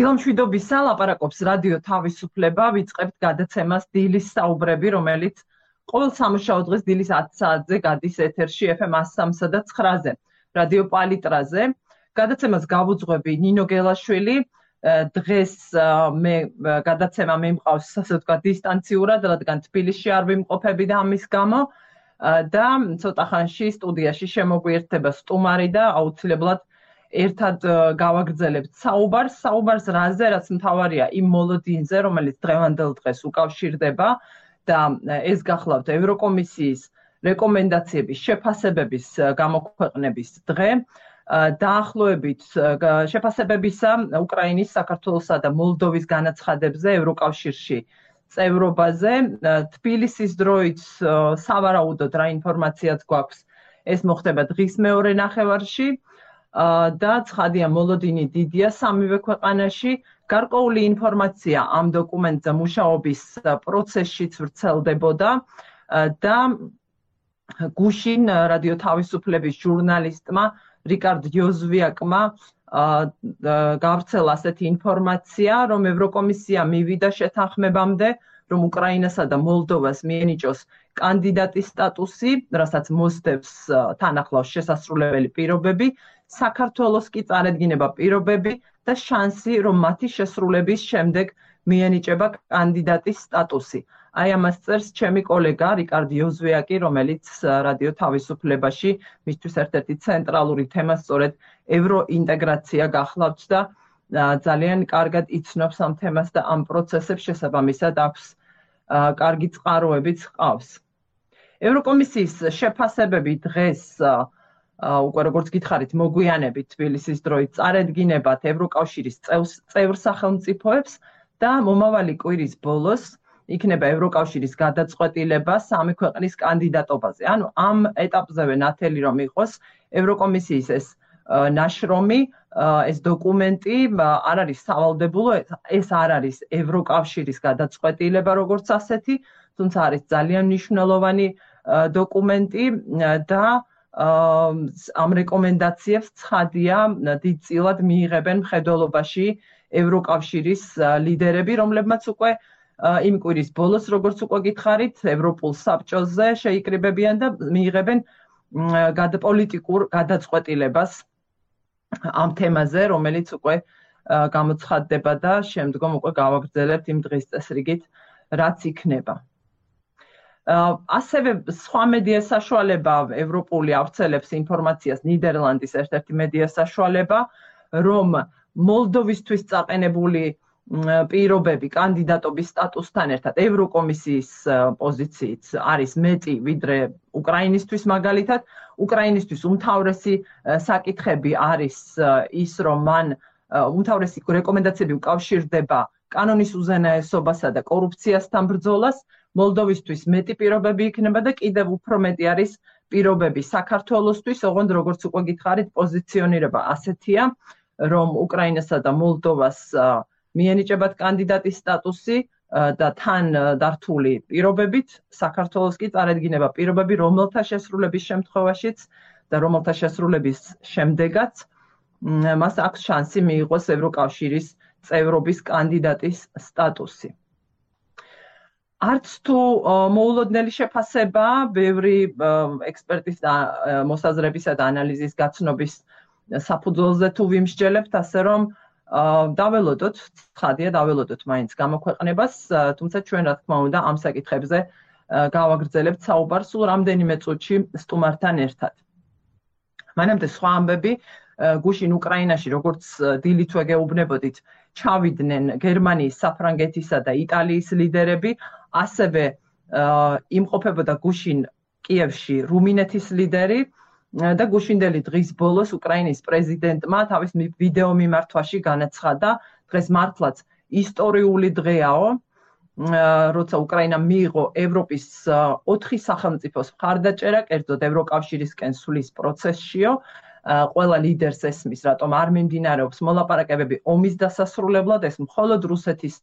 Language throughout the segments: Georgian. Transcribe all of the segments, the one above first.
დილამშვიდობისა ლაპარაკობს რადიო თავისუფლება, ვიწყებთ გადაცემას დილის საუბრები, რომელიც ყოველ სამუშაო დღეს დილის 10 საათზე გადის ეთერში FM 103 და 9-ზე, რადიო პალიტრაზე. გადაცემას გავუძღვები ნინო გელაშვილი. დღეს მე გადაცემა მემყავს ასე ვთქვათ დისტანციურად, რადგან თბილისში არ ვიმყოფები და ამის გამო და ცოტა ხანში სტუდიაში შემოგვიერთდება სტუმარი და აუცილებლად ერთად გავაგრძელებთ საუბარს რაზე, რაც მთავარია იმ მოლოდინზე, რომელიც დღევანდელ დღეს უკავშირდება და ეს გახლავთ ევროკომისიის რეკომენდაციების შეფასებების გამოქვეყნების დღე. დაახლოებით შეფასებებისა უკრაინის, საქართველოსა და მოლდოვის განაცხადებზე ევროკავშირში წევრობაზე. თბილისის დროით სავარაუდოდ რა ინფორმაციაც გვაქვს, ეს მოხდება დღის მეორე ნახევარში და ცხადია მოლოდინი დიდია სამივე ქვეყანაში. გარკვეული ინფორმაცია ამ დოკუმენტზე მუშაობის პროცესშიც ვრცელდებოდა და გუშინ რადიო თავისუფლების ჟურნალისტმა რიკარდ იოზვიაკმა გავრცელა ასეთი ინფორმაცია, რომ ევროკომისია მივიდა შეთანხმებამდე, რომ უკრაინასა და მოლდოვას მიენიჭოს კანდიდატის სტატუსი, რასაც მოსდევს თან ახლავს შესასრულებელი პირობები, საქართველოს კი წარედგინება პირობები და შანსი, რომ მათი შესრულების შემდეგ მიენიჭება კანდიდატის სტატუსი. აი ამას წერს ჩემი კოლეგა რიკარდ იოზვიაკი, რომელიც რადიო თავისუფლებაში მისთვის ერთ-ერთი ცენტრალური თემა სწორედ ევროინტეგრაცია გახლავთ და ძალიან კარგად იცნობს ამ თემას და ამ პროცესებს შესაბამისად აქვს კარგი წყაროებიც ჰყავს. ევროკომისიის შეფასებები დღეს უკვე როგორც გითხარით მოგვიანებით თბილისის დროით წარედგინებათ ევროკავშირის წევრ სახელმწიფოებს და მომავალი კვირის ბოლოს იქნება ევროკავშირის გადაწყვეტილება სამი ქვეყნის კანდიდატობაზე. ანუ ამ ეტაპზევე ნათელი რომ იყოს ევროკომისიის ეს ნაშრომი, ეს დოკუმენტი არ არის სავალდებულო, ეს არ არის ევროკავშირის გადაწყვეტილება როგორც ასეთი, თუმცა არის ძალიან მნიშვნელოვანი დოკუმენტი და ამ რეკომენდაციებს ცხადია დიდწილად მიიღებენ მხედველობაში ევროკავშირის ლიდერები, რომლებმაც უკვე იმ კვირის ბოლოს, როგორც უკვე გითხარით, ევროპულ საბჭოზე შეიკრიბებიან და მიიღებენ პოლიტიკურ გადაწყვეტილებას ამ თემაზე, რომელიც უკვე გამოცხადდება და შემდგომ უკვე გავაგრძელებთ იმ დღის წესრიგით, რაც იქნება. ასევე სხვა მედია საშუალება ევროპული ავრცელებს ინფორმაციას, ნიდერლანდის ერთ-ერთი მედია საშუალება, რომ მოლდოვისთვის წაყენებული პირობები კანდიდატობის სტატუსთან ერთად ევროკომისიის პოზიციით არის მეტი ვიდრე უკრაინისთვის მაგალითად. უკრაინისთვის უმთავრესი საკითხები არის ის, რომ მან უმთავრესი რეკომენდაციები უკავშირდება კანონის უზენაესობასა და კორუფციასთან ბრძოლას. მოლდოვისთვის მეტი პირობები იქნება და კიდევ უფრო მეტი არის პირობები საქართველოსთვის, ოღონდ როგორც უკვე გითხარით, პოზიციონირება ასეთია, რომ უკრაინასა და მოლდოვას მიენიჭებათ კანდიდატის სტატუსი და თან დართული პირობებით, საქართველოს კი წარედგინება პირობები, რომელთა შესრულების შემთხვევაშიც და რომელთა შესრულების შემდეგაც მას აქვს შანსი მიიღოს ევროკავშირის წევრობის კანდიდატის სტატუსი. არც თუ მოულოდნელი შეფასება, ბევრი ექსპერტის მოსაზრებისა და ანალიზის გაცნობის საფუძველზე თუ ვიმსჯელებთ, ასე რომ დაველოდოთ, ცხადია დაველოდოთ მაინც გამოქვეყნებას, თუმცა ჩვენ რა თქმა უნდა ამ საკითხებზე გავაგრძელებთ საუბარს სულ რამდენიმე წუთში სტუმართან ერთად. მანამდე სხვა ამბები, გუშინ უკრაინაში, როგორც დილითვე გეუბნებოდით, ჩავიდნენ გერმანიის, საფრანგეთისა და იტალიის ლიდერები, ასევე იმყოფებოდა გუშინ კიევში რუმინეთის ლიდერი და გუშინდელი დღის ბოლოს უკრაინის პრეზიდენტმა თავის ვიდეო მიმართვაში განაცხადა, დღეს მართლაც ისტორიული დღეაო, როცა უკრაინა მიიღო ევროპის 4 სახელმწიფოს მხარდაჭერა, კერძოდ ევროკავშირისკენ სulis პროცესშიო, ყველა ლიდერს ესმის, რატომ არ მიმდინარეობს მოლაპარაკებები ომის დასასრულებლად, ეს მხოლოდ რუსეთის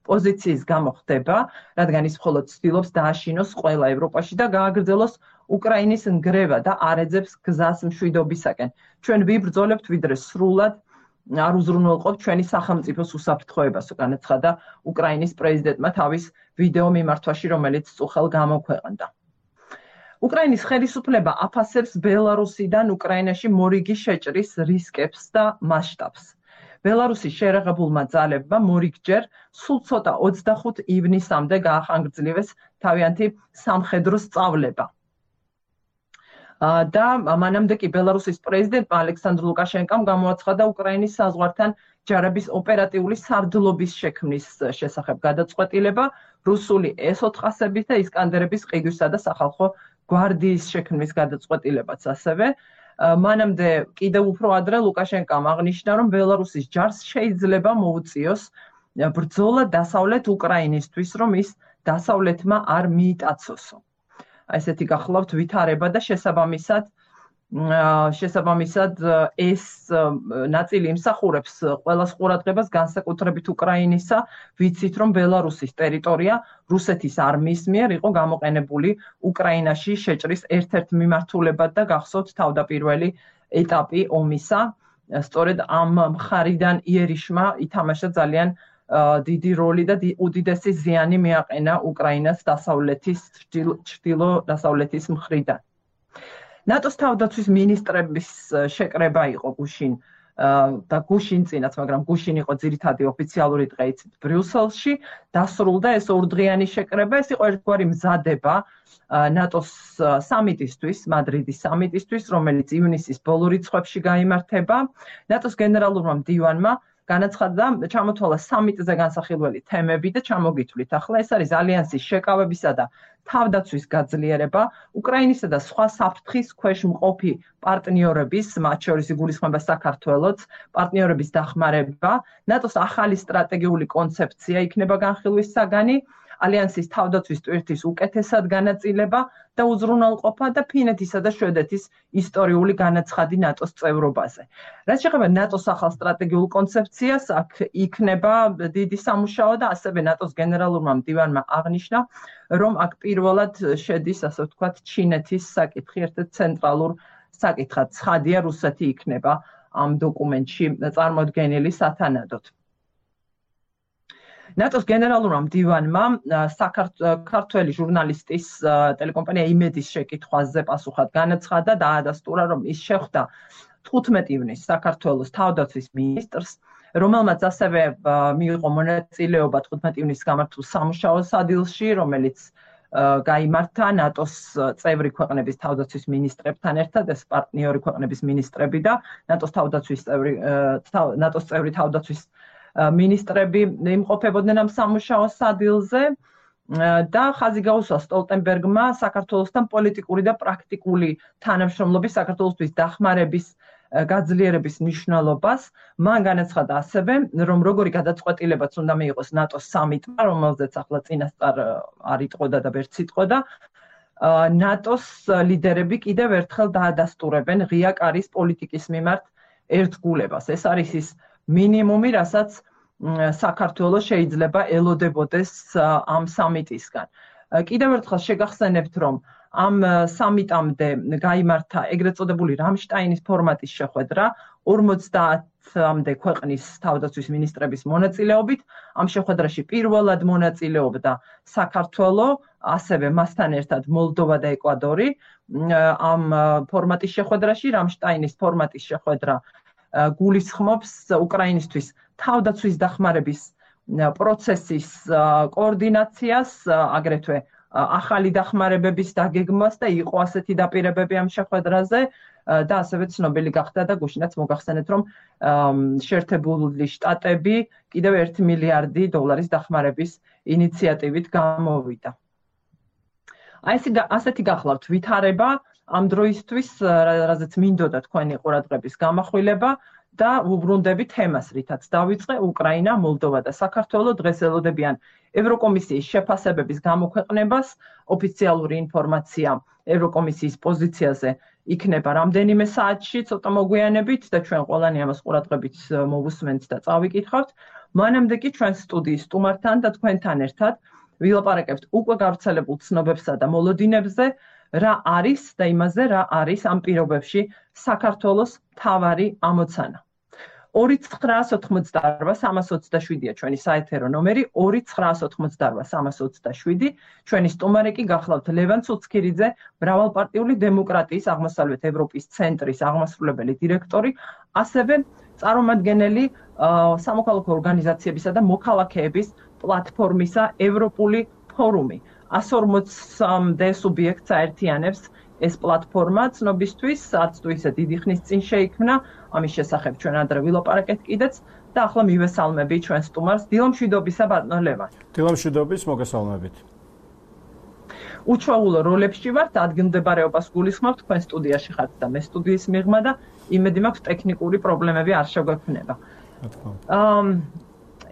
პოზიციის გამო ხდება, რადგან ის მხოლოდ ცდილობს დააშინოს ყველა ევროპაში და გააგრძელოს უკრაინის ნგრევა და არ ეძებს გზას მშვიდობისაკენ. ჩვენ ვიბრძოლებთ ვიდრე სრულად არ უზრუნველყოფ ჩვენი სახელმწიფოს უსაფრთხოებას, განაცხადა უკრაინის პრეზიდენტმა თავის ვიდეო მიმართვაში, რომელიც წუხელ გამოქვეყნდა. უკრაინის ხელისუფლება აფასებს ბელარუსიდან უკრაინაში მორიგი შეჭრის რისკებს და მასშტაბს. ბელარუსის შეერაღებულმა ძალებმა მორიგჯერ სულ ცოტა 25 ივნისამდე გაახანგრძლივეს თავიანთი სამხედრო სწავლება. და მანამდე კი ბელარუსის პრეზიდენტმა ალექსანდრ ლუკაშენკომ გამოაცხადა უკრაინის საზღვართან ჯარების ოპერატიული სარდლობის შექმნის შესახებ გადაწყვეტილება, რუსული S-400-ების და ისკანდერების ყიდვისა და სახალხო გვარდიის შექმნის გადაწყვეტილებაც ასევე. მანამდე კიდევ უფრო ადრე ლუკაშენკომ აღნიშნა, რომ ბელარუსის ჯარს შეიძლება მოუწიოს ბრძოლა დასავლეთ უკრაინისთვის, რომ ის დასავლეთმა არ მიიტაცოსო. ესეთი გახლავთ ვითარება და შესაბამისად ეს ნაწილი იმსახურებს ყველას ყურადღებას, განსაკუთრებით უკრაინისა, ვიცით, რომ ბელარუსის ტერიტორია რუსეთის არმიის მიერ იყო გამოყენებული უკრაინაში შეჭრის ერთ-ერთ მიმართულებად და გახსოვთ თავდაპირველი ეტაპი ომისა. სწორედ ამ მხარიდან იერიშმა ითამაშა ძალიან დიდი როლი და უდიდესი ზიანი მიაყენა უკრაინას ჩრდილო-დასავლეთის მხრიდან. ნატოს თავდაცვის მინისტრების შეკრება იყო გუშინ და გუშინწინაც, მაგრამ გუშინ იყო ძირითადი ოფიციალური დღე იცით ბრიუსელში, დასრულდა ეს ორდღიანი შეკრება, ეს იყო ერთგვარი მზადება ნატოს სამიტისთვის, მადრიდის სამიტისთვის, რომელიც ივნისის ბოლო რიცხვებში გაიმართება. ნატოს გენერალურმა მდივანმა განაცხადა ჩამოთვალა სამიტზე განსახილველი თემები და ჩამოგითვლით. ახლა ეს არის ალიანსის შეკავებისა და თავდაცვის გაძლიერება, უკრაინისა და სხვა საფრთხის ქვეშ მყოფი პარტნიორების, მათ შორის იგულისხმება საქართველოც, პარტნიორების დახმარება, ნატოს ახალი სტრატეგიული კონცეფცია იქნება განხილვის საგანი, ალიანსის თავდაცვის ტვირთის უკეთესად განაწილება და უზრუნველყოფა და ფინეთისა და შვედეთის ისტორიული განაცხადი ნატოს წევრობაზე. რაც შეეხება ნატოს ახალ სტრატეგიულ კონცეფციას, აქ იქნება დიდი სამუშაო და ასევე ნატოს გენერალურმა მდივანმა აღნიშნა, რომ აქ პირველად შედის, ასე ვთქვათ, ჩინეთის საკითხი, ერთ-ერთ ცენტრალურ საკითხად. ცხადია, რუსეთი იქნება ამ დოკუმენტში წარმოდგენილი სათანადოდ. ნატოს გენერალურმა მდივანმა ქართველი ჟურნალისტის ტელეკომპანია იმედის შეკითხვაზე პასუხად განაცხადა და დაადასტურა, რომ ის შეხვდა 15 ივნისს საქართველოს თავდაცვის მინისტრს, რომელმაც ასევე მიიღო მონაწილეობა 15 ივნისს გამართულ სამუშაო სადილში, რომელიც გაიმართა ნატოს წევრი ქვეყნების თავდაცვის მინისტრებთან ერთად, ეს პარტნიორი ქვეყნების მინისტრები და ნატოს წევრი თავდაცვის მინისტრები იმყოფებოდნენ ამ სამუშაო სადილზე და ხაზი გაუსვა სტოლტენბერგმა საქართველოსთან პოლიტიკური და პრაქტიკული თანამშრომლობის საქართველოსთვის დახმარების გაძლიერების მნიშვნელობას. მან განაცხადა ასევე, რომ როგორი გადაწყვეტილებაც უნდა მიიღოს ნატოს სამიტმა, რომელზეც ახლა წინასწარ არ იტყოდა და ვერც იტყოდა, ნატოს ლიდერები კიდევ ერთხელ დაადასტურებენ ღია კარის პოლიტიკის მიმართ ერთგულებას. ეს არის ის მინიმუმი, რასაც საქართველოს შეიძლება ელოდებოდეს ამ სამიტისგან. კიდევ ერთხელ შეგახსენებთ, რომ ამ სამიტამდე გაიმართა ეგრეთ წოდებული რამშტაინის ფორმატის შეხვედრა 50-მდე ქვეყნის თავდაცვის მინისტრების მონაწილეობით. ამ შეხვედრაში პირველად მონაწილეობდა საქართველო, ასევე მასთან ერთად მოლდოვა და ეკვადორი. ამ ფორმატის შეხვედრაში, რამშტაინის ფორმატის შეხვედრა გულისხმობს უკრაინისთვის თავდაცვის დახმარების პროცესის კოორდინაციას, აგრეთვე ახალი დახმარებების დაგეგმვას და იყო ასეთი დაპირებები ამ შეხვედრაზე და ასევე ცნობილი გახდა და გუშინაც მოგახსენეთ, რომ შეერთებული შტატები კიდევ 1 მილიარდი დოლარის დახმარების ინიციატივით გამოვიდა. ასეთი გახლავთ ვითარება ამ დროისთვის, რაზეც მინდოდა თქვენი ყურადღების გამახვილება და უბრუნდები თემას, რითაც დავიწყე, უკრაინა, მოლდოვა და საქართველო დღეს ელოდებიან ევროკომისიის შეფასებების გამოქვეყნებას. ოფიციალური ინფორმაცია ევროკომისიის პოზიციაზე იქნება რამდენიმე საათში, ცოტა მოგვიანებით და ჩვენ ყველანი ამას ყურადღებით მოვუსმენთ და წავიკითხავთ. მანამდე კი ჩვენ სტუდიის სტუმართან და თქვენთან ერთად ვილაპარაკებთ უკვე გავრცელებულ ცნობებსა და მოლოდინებზე, რა არის და იმაზე, რა არის ამ პირობებში საქართველოს მთავარი ამოცანა. 2988327-ია ჩვენი საეთერო ნომერი, 2988327. ჩვენი სტუმარი კი გახლავთ ლევან ცუცქირიძე, მრავალპარტიული დემოკრატიის აღმოსავლეთ ევროპის ცენტრის აღმასრულებელი დირექტორი, ასევე წარმომადგენელი სამოქალაქო ორგანიზაციებისა და მოქალაქეების პლატფორმისა ევროპული ფორუმი. 140-მდე სუბიექტს აერთიანებს ეს პლატფორმა ცნობისთვის, არც თუ ისე დიდი ხნის წინ შეიქმნა, ამის შესახებ ჩვენ ადრე ვილაპარაკეთ კიდეც და ახლა მივესალმები ჩვენ სტუმარს. დილამშვიდობისა ბატონო ლევან. დილამშვიდობის, მოგესალმებით. უჩვეულო როლებში ვართ, ადგილმდებარეობას გულისხმობ, თქვენ სტუდიაში ხართ და მე სტუდიის მიღმა და იმედი მაქვს ტექნიკური პრობლემები არ შეგვექმნება.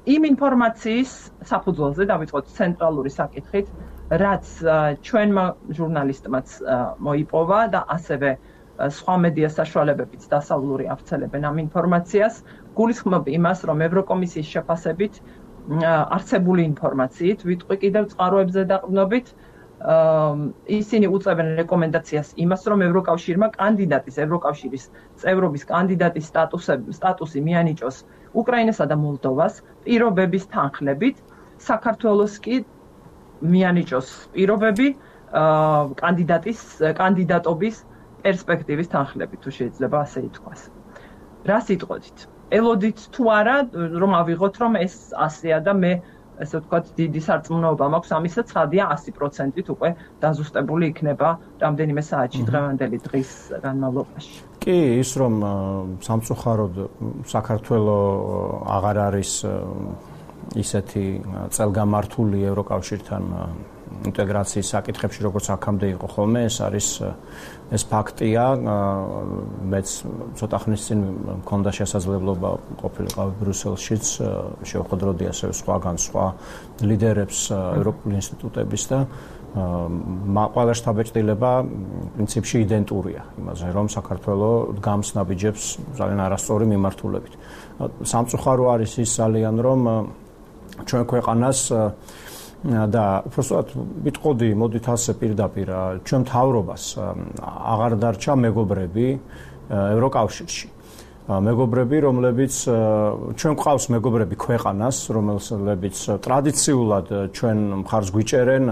იმ ინფორმაციის საფუძველზე დავიწყოთ ცენტრალური საკითხით, რაც ჩვენმა ჟურნალისტმაც მოიპოვა და ასევე სხვა მედია საშუალებებიც დასავლური ავრცელებენ ამ ინფორმაციას. გულისხმობ იმას, რომ ევროკომისიის შეფასებით არსებული ინფორმაციით, ვიტყვი კიდევ წყაროებზე დაყრდნობით, ისინი უწევენ რეკომენდაციას იმას, რომ ევროკავშირმა ევროკავშირის წევრობის კანდიდატის სტატუსი მიანიჭოს უკრაინასა და მოლდოვას პირობების თანხლებით, საქართველოს კი მიანიჭოს პირობები კანდიდატობის პერსპექტივის თანხლებით, თუ შეიძლება ასე ითქვას. რა სიტყვით? ელოდით თუ არა, რომ ავიღოთ, რომ ეს ასეა და მე ესე ვთქვათ, დიდი სარწმუნოება მაქვს ამისა, ცხადია 100%-ით უკვე დაზუსტებული იქნება რამდენიმე საათში დღევანდელი დღის განმავლობაში. კი, ის რომ სამწუხაროდ საქართველოს აღარ არის ისეთი წელგამართული ევროკავშირთან ინტეგრაციის საკითხებში, როგორც აქამდე იყო ხოლმე, ეს ფაქტია. მეც ცოტა ხნის წინ მქონდა შესაძლებლობა ყოფილიყავი ბრიუსელშიც, შევხვდროდი ასევე სხვა ლიდერებს ევროპული ინსტიტუტების და ყველა შთაბეჭდილება პრინციპში იდენტურია იმაზე, რომ საქართველოს დგამს ნაბიჯებს ძალიან არასწორი მიმართულებით. სამწუხარო არის ის ძალიან, რომ ჩვენ ქვეყანას და უბრალოდ ვიტყოდი, მოდით ასე პირდაპირ, ჩვენ მთავრობას აღარ დარჩა მეგობრები ევროკავშირში. მეგობრები, რომლებიც ჩვენ გვყავს მეგობრები ქვეყანას, რომლებიც ტრადიციულად ჩვენ მხარს გვიჭერენ,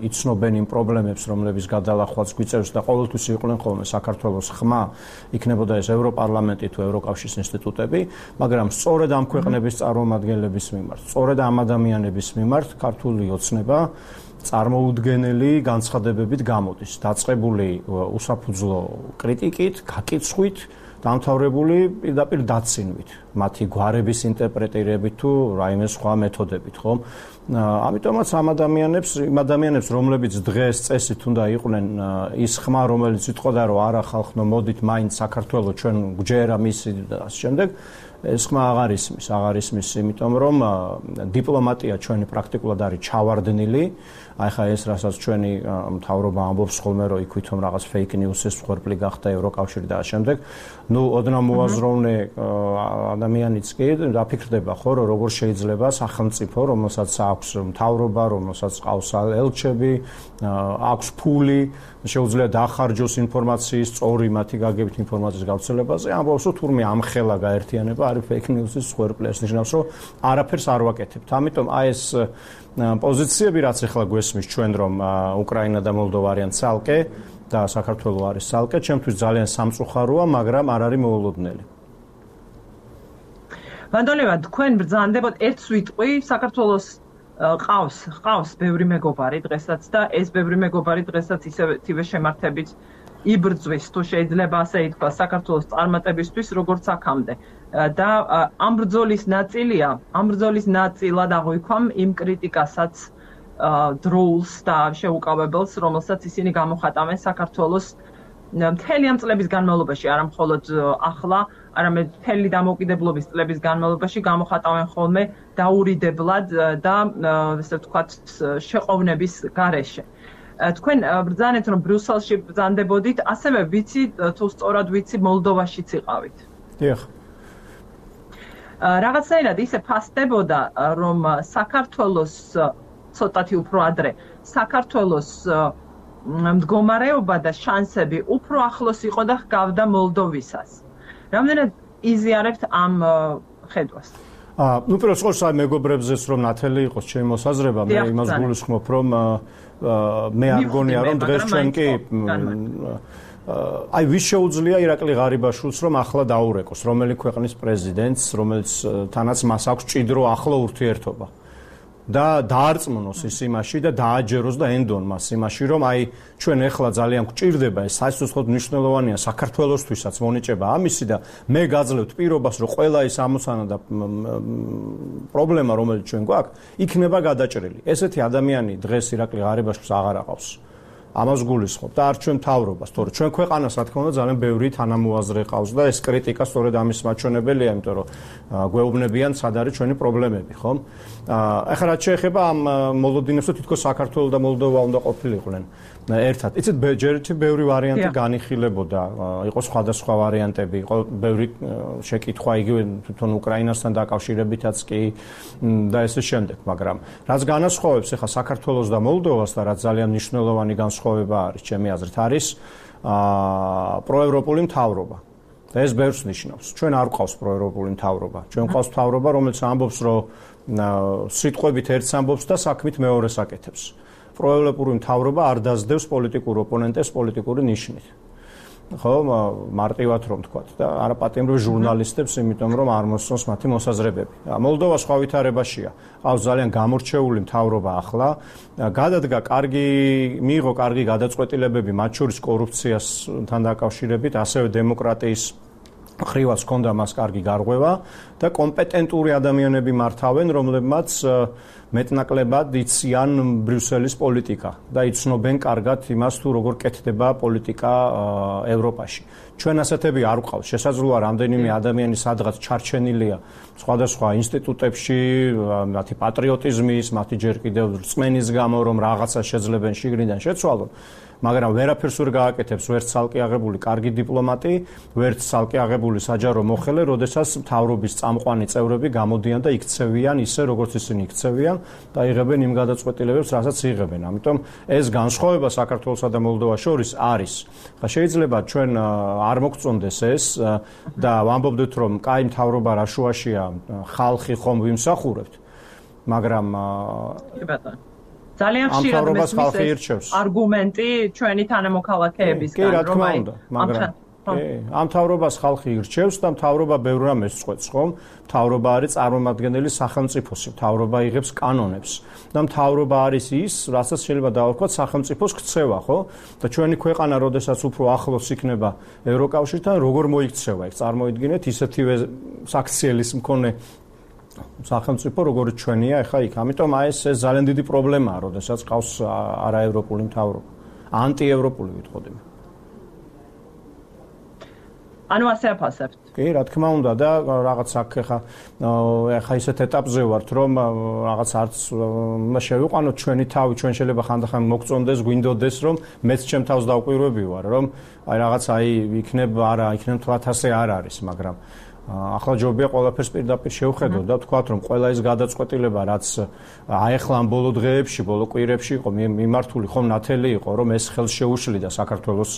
იცნობენ იმ პრობლემებს, რომლებიც გადალახვაც გვიწევს და ყოველთვის იყვნენ ხოლმე საქართველოს ხმა, იქნებოდა ეს ევროპარლამენტი თუ ევროკავშირის ინსტიტუტები, მაგრამ სწორედ ამ ქვეყნების წარმომადგენლების მიმართ, სწორედ ამ ადამიანების მიმართ ქართული ოცნება წარმოუდგენელი განცხადებებით გამოდის, დაწყებული უსაფუძვლო კრიტიკით, გაკიცხვით, დამთავრებული პირდაპირ დაცინვით, მათი გვარების ინტერპრეტირებით თუ რაიმე სხვა მეთოდებით, ხომ? ამიტომაც იმ ადამიანებს, რომლებიც დღეს წესით უნდა იყვნენ ის ხმა, რომელიც იტყოდა, რომ არა ხალხო, მოდით მაინც საქართველოს ჩვენ გვჯერა მისი და ასე შემდეგ, ეს ხმა აღარ ისმის, იმიტომ რომ დიპლომატია ჩვენი პრაქტიკულად არის ჩავარდნილი. აი ხა ეს რასაც ჩვენი მთავრობა ამბობს ხოლმე, რომ იქვithom რაღაც fake news-ის მსხვერპლი გახდა ევროკავშირი და ასე შემდეგ. ნუ ოდნავ მოაზროვნე ადამიანიც კი დაფიქრდება ხო, რომ როგორ შეიძლება სახელმწიფო, რომელსაც აქვს მთავრობა, რომელსაც ყავს ელჩები, აქვს ფული, შეუძლია დახარჯოს ინფორმაციის სწორი მათი გაგებით ინფორმაციის გავრცელებაზე, ამბობს, რომ თურმე ამხელა გაერთიანება არის fake news-ის მსხვერპლი, ეს ნიშნავს, რომ არაფერს არ ვაკეთებთ. ამიტომ აი ეს პოზიციები, რაც ახლა გვესმის ჩვენ, რომ უკრაინა და მოლდოვა არიან ცალკე და საქართველოს არის ცალკე, ჩემთვის ძალიან სამწუხაროა, მაგრამ არ არის მოულოდნელი. ბატონო, თქვენ ბრძანდებოდ ერთს ვიტყვი, საქართველოს ყავს ბევრი მეგობარი დღესაც და ეს ბევრი მეგობარი დღესაც ისევე შემართებით იბრძვის, თუ შეიძლება ასე ითქვას, საქართველოს წარმატებისთვის, როგორც აქამდე. და ამ ბრძოლის ნაწილად აღვიქვამ იმ კრიტიკასაც დროულს და შეუკავებელს, რომელსაც ისინი გამოხატავენ საქართველოს მთელი ამ წლების განმავლობაში, არა მხოლოდ ახლა, არამედ მთელი დამოუკიდებლობის წლების განმავლობაში გამოხატავენ ხოლმე დაურიდებლად და ესე ვთქვათ შეყოვნების გარეშე. თქვენ ბრძანეთ, რომ ბრიუსელში ბრძანდებოდით, ასევე ვიცი, თუ სწორად ვიცი, მოლდოვაშიც იყავით. დიახ. რაღაცნაირად ისე ფასდებოდა, რომ საქართველოს ცოტათი უფრო ადრე, საქართველოს მდგომარეობა და შანსები უფრო ახლოს იყო და ჰგავდა მოლდოვისას. რამდენად იზიარებთ ამ ხედვას? ნუ პირველ რიგში მეგობრებზეც რომ ნათელი იყოს ჩემი მოსაზრება, მე იმას გულისხმობ, რომ მე არ გონია რომ დღეს ჩვენ კი აი ვის შეუძლია ირაკლი ღარიბაშვილს რომ ახლა დაურეკოს რომელი ქვეყნის პრეზიდენტს, რომელიც თანაც მას აქვს ჭიდრო ახლო ურთიერთობა და დაარწმუნოს ის იმაში და დააჯეროს და ენდონ მას იმაში, რომ აი ჩვენ ახლა ძალიან გვჭირდება ეს საერთოდ მნიშვნელოვანია საქართველოსთვისაც მონიჭება ამისი და მე გაძლევთ პირობას, რომ ყველა ის ამოცანა და პრობლემა რომელიც ჩვენ გვაქვს, იქნება გადაჭრილი. ესეთი ადამიანი დღეს ირაკლი ღარიბაშვილს აღარ აყავს. ამას გულისხმობ და არ ჩვენ მთავრობას, თორე ჩვენ ქვეყანას რა თქმა უნდა ძალიან ბევრი თანამოაზრე ყავს და ეს კრიტიკა სწორედ ამის მაჩვენებელია, იმიტომ რომ გვეუბნებიან სად არის ჩვენი პრობლემები, ხომ? ახლა რაც შეეხება ამ მოლოდინებს, თითქოს საქართველოს და მოლდოვა უნდა ყოფილიყვნენ ერთად. იცით, ჯერჯერობით ბევრი ვარიანტი განიხილებოდა, იყო სხვადასხვა ვარიანტები, იყო ბევრი შეკითხვა იგივე თვითონ უკრაინასთან დაკავშირებითაც კი და ესე შემდეგ, მაგრამ რაც განასხვავებს ახლა საქართველოს და მოლდოვას და რაც ძალიან მნიშვნელოვანი განსხვავება არის, ჩემი აზრით, არის პროევროპული მთავრობა. და ეს ბევრს ნიშნავს. ჩვენ არ გვყავს პროევროპული მთავრობა. ჩვენ გვყავს მთავრობა, რომელიც ამბობს, რომ სიტყვებით ერთს ამბობს და საქმით მეორეს აკეთებს. პროევროპული მთავრობა არ დაძდევს პოლიტიკურ ოპონენტებს პოლიტიკური ნიშნით. ხო, მარტივად რომ თქვათ და არაპატიმრობ ჟურნალისტებს, იმიტომ რომ არ მოსწონს მათი მოსაზრებები. მოლდოვა სხვა ვითარებაშია. ყავს ძალიან გამორჩეული მთავრობა ახლა. გადადგა მიიღო კარგი გადაწყვეტილებები, მათ შორის კორუფციასთან დაკავშირებით, ასევე დემოკრატიის ხრივაც ჰქონდა მას კარგი გარღვევა და კომპეტენტური ადამიანები მართავენ, რომლებმაც მეტნაკლებად იციან ბრიუსელის პოლიტიკა და იცნობენ კარგად იმას, თუ როგორ კეთდება პოლიტიკა ევროპაში. ჩვენ ასეთები არ გვყავს. შესაძლოა რამდენიმე ადამიანი სადღაც ჩარჩენილია სხვადასხვა ინსტიტუტებში, მათი პატრიოტიზმის, მათი ჯერ კიდევ რწმენის გამო, რომ რაღაცა შეძლებენ შიგნიდან შეცვალონ. მაგრამ ვერაფერს ვერ გააკეთებს ვერც ცალკე აღებული კარგი დიპლომატი, ვერც ცალკე აღებული საჯარო მოხელე, როდესაც მთავრობის წამყვანი წევრები გამოდიან და იქცევიან ისე, როგორც ისინი იქცევიან და იღებენ იმ გადაწყვეტილებებს, რასაც იღებენ. ამიტომ ეს განსხვავება საქართველოსა და მოლდოვას შორის არის. შეიძლება ჩვენ არ მოგწონდეს ეს და ვამბობდეთ, რომ კაი მთავრობა რა შუაშია, ხალხი ხომ ვიმსახურებთ, მაგრამ ძალიან ხშირად მესმის არგუმენტი ჩვენი თანამოქალაქეებისგან, რომ აი ამ მთავრობას ხალხი ირჩევს და მთავრობა ბევრ რამეს წყვეტს, ხომ? მთავრობა არის წარმომადგენელი სახელმწიფოსი, მთავრობა იღებს კანონებს და მთავრობა არის ის, რასაც შეიძლება დავარქვათ სახელმწიფოს ქცევა, ხო? და ჩვენი ქვეყანა, როდესაც უფრო ახლოს იქნება ევროკავშირთან, როგორ მოიქცევა? იქ წარმოიდგინეთ ისეთივე საქციელის მქონე სახელმწიფო როგორც ჩვენია ახლა იქ. ამიტომ აი ეს ძალიან დიდი პრობლემაა, როდესაც ყავს არაევროპული მთავრობა. ანტიევროპული ვიტყოდი. ანუ ასე აფასებთ. კი, რა თქმა უნდა და რაღაც აქ ახლა ისეთ ეტაპზე ვართ, რომ რაღაც არც შევიყვანოთ ჩვენი თავი, ჩვენ შეიძლება ხანდახან მოგწონდეს, გვინდოდეს, რომ მეც ჩემ თავს დავკვირვები ვარ, რომ აი რაღაც იქნებ თვათასე არ არის, მაგრამ ახლა ჯობია ყველაფერს პირდაპირ შევხედოთ და ვთქვათ, რომ ყველა ის გადაწყვეტილება, რაც აეხლა ამ ბოლო დღეებში, ბოლო კვირებში იყო მიმართული, ხომ ნათელი იყო, რომ ეს ხელს შეუშლიდა საქართველოს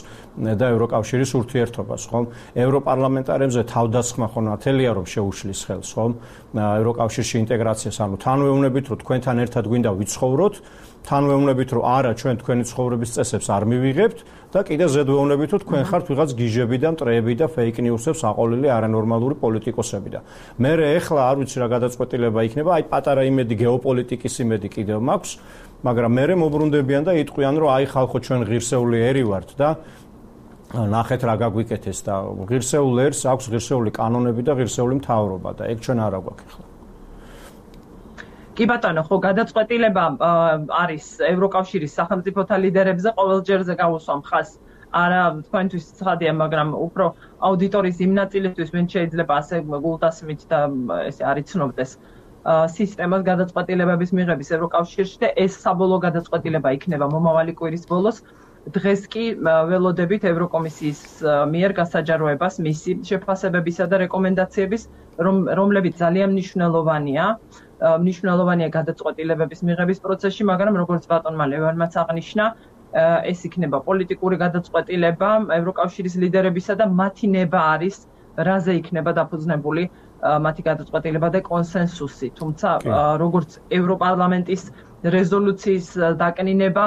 და ევროკავშირის ურთიერთობას, ხომ? ევროპარლამენტარებზე თავდასხმა ხო ნათელია, რომ შეუშლის ხელს, ხომ? ევროკავშირში ინტეგრაციას, ანუ თან ვეუბნებით, რომ თქვენთან ერთად გვინდა ვიცხოვროთ, თან ვეუბნებით, რომ არა, ჩვენ თქვენი ცხოვრების წესებს არ მივიღებთ და კიდე ზედ ვეუბნებით, რომ თქვენ ხართ ვიღაც გიჟები და მტრეები და ფეიქ ნიუსებს აყოლილი არანორმალური პოლიტიკოსები და მე ეხლა არ ვიცი რა გადაწყვეტილება იქნება, აი პატარა იმედი გეოპოლიტიკის იმედი კიდევ მაქვს, მაგრამ მე მობრუნდებიან და იტყვიან, რომ აი ხალხო ჩვენ ღირსეული ერი ვართ და ნახეთ რა გაგვიკეთეს და ღირსეულ ერს აქვს ღირსეული კანონები და ღირსეული მთავრობა და ეგ ჩვენ არ აგვაქვს ახლა. კი ბატონო, ხო გადაწყვეტილება არის ევროკავშირის სახელმწიფოთა ლიდერებზე ყოველჯერზე გავუსვამ ხაზს. არა თქვენთვის ცხადია, მაგრამ უფრო აუდიტორიის იმ ნაწილისთვის, ვინც შეიძლება ასე გულდასმით და ესე არ იცნობდეს სისტემას გადაწყვეტილებების მიღების ევროკავშირში და ეს საბოლოო გადაწყვეტილება იქნება მომავალი კვირის ბოლოს. დღეს კი ველოდებით ევროკომისიის მიერ გასაჯაროებას მისი შეფასებებისა და რეკომენდაციების, რომლებიც ძალიან მნიშვნელოვანია გადაწყვეტილებების მიღების პროცესში, მაგრამ როგორც ბატონმა ლევანმაც აღნიშნა, ეს იქნება პოლიტიკური გადაწყვეტილება ევროკავშირის ლიდერებისა და მათი ნება არის რაზე იქნება დაფუძნებული მათი გადაწყვეტილება და კონსენსუსი. თუმცა როგორც ევროპარლამენტის რეზოლუციის დაკნინება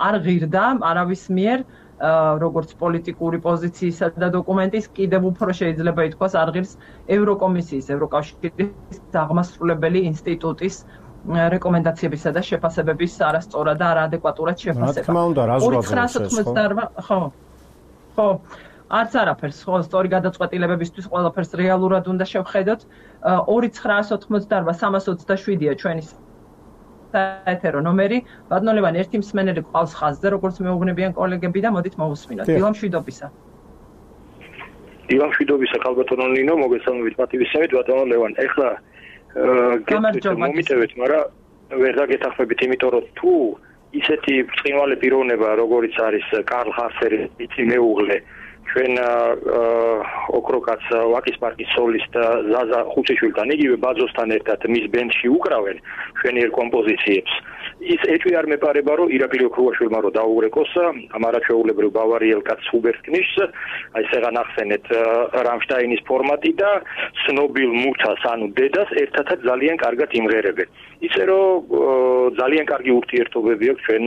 არ ღირდა არავის მიერ, როგორც პოლიტიკური პოზიციისა და დოკუმენტის, კიდევ უფრო შეიძლება ითქვას არ ღირს ევროკომისიის, ევროკავშირის აღმასრულებელი ინსტიტუტის რეკომენდაციებისა და შეფასებების არასწორად და არაადეკვატურად შეფასება. რა თქმა უნდა, რა ზღვაძებს ხო, არც არაფერს, ხო, სწორი გადაწყვეტილებებისთვის ყველაფერს რეალურად უნდა შევხედოთ. 2988-327-ია ჩვენი საეთერო ნომერი. ბატონო ლევან, ერთი მსმენელი ყავს ხაზზე, როგორც მეუბნებიან კოლეგები და მოდით მოვუსმინოთ. დილა მშვიდობისა. დილა მშვიდობისა, ხალბატონო ნინო, მოგესალმებით პატივისცემით, ბატონო ლევან. ეხლა მომიტევეთ, მაგრამ ვერ დაგეთახმებით, იმიტომ რომ თუ ისეთი ბრწყინვალე პიროვნება, როგორც არის კარლ ჰასერი, იცი მეუღლე, ჩვენ ოქროკაც ვაკის პარკის სოლისტ ზაზა ხუციშვილთან, იგივე ბაძოსთან ერთად მის ბენდში უკრავენ ჩვენიერ კომპოზიციებს. ის ეჭვი არ მეპარება, რომ ირაკლი ოქრუაშვილმა რომ დაუღრეკოს ამ არაჩვეულებრივ ბავარიელ კაცს ჰუბერტ კნიშს, აი სეღან ახსენეთ რამშტაინის ფორმატი და ცნობილ მუცას, ანუ დედას ერთადაც ძალიან კარგად იმღერებენ. ისე რომ ძალიან კარგი ურთიერთობები აქვს ჩვენ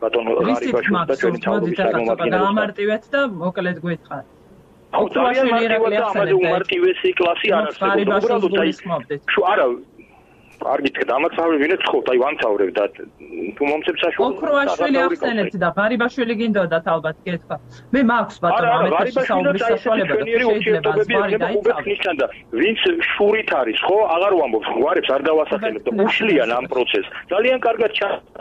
ბატონო ღარიბაშვილს და ჩვენი თავობის წარმომადგენლებს. გამარტივეთ და მოკლედ გვითხრათ. აუ ძალიან მარტივია, უმარტივესი კლასი არ არსებობს. უბრალოდ აი არა კარგით დამაცავებინეთ ხო, აი ვამცავრებ და თუ მომცემ საშუალებას. ოქროაშვილი ახსენეთ და ღარიბაშვილი გინდოდათ ალბათ კითხვა. მე მაქვს ბატონო ამეთში საუბრის საშუალება და შეიძლება ზღვარი დაიცავ. და ვინც შურით არის ხო, აღარ ვამბობს, გვარებს არ დავასახელებ და უშლიან ამ პროცესს. ძალიან კარგად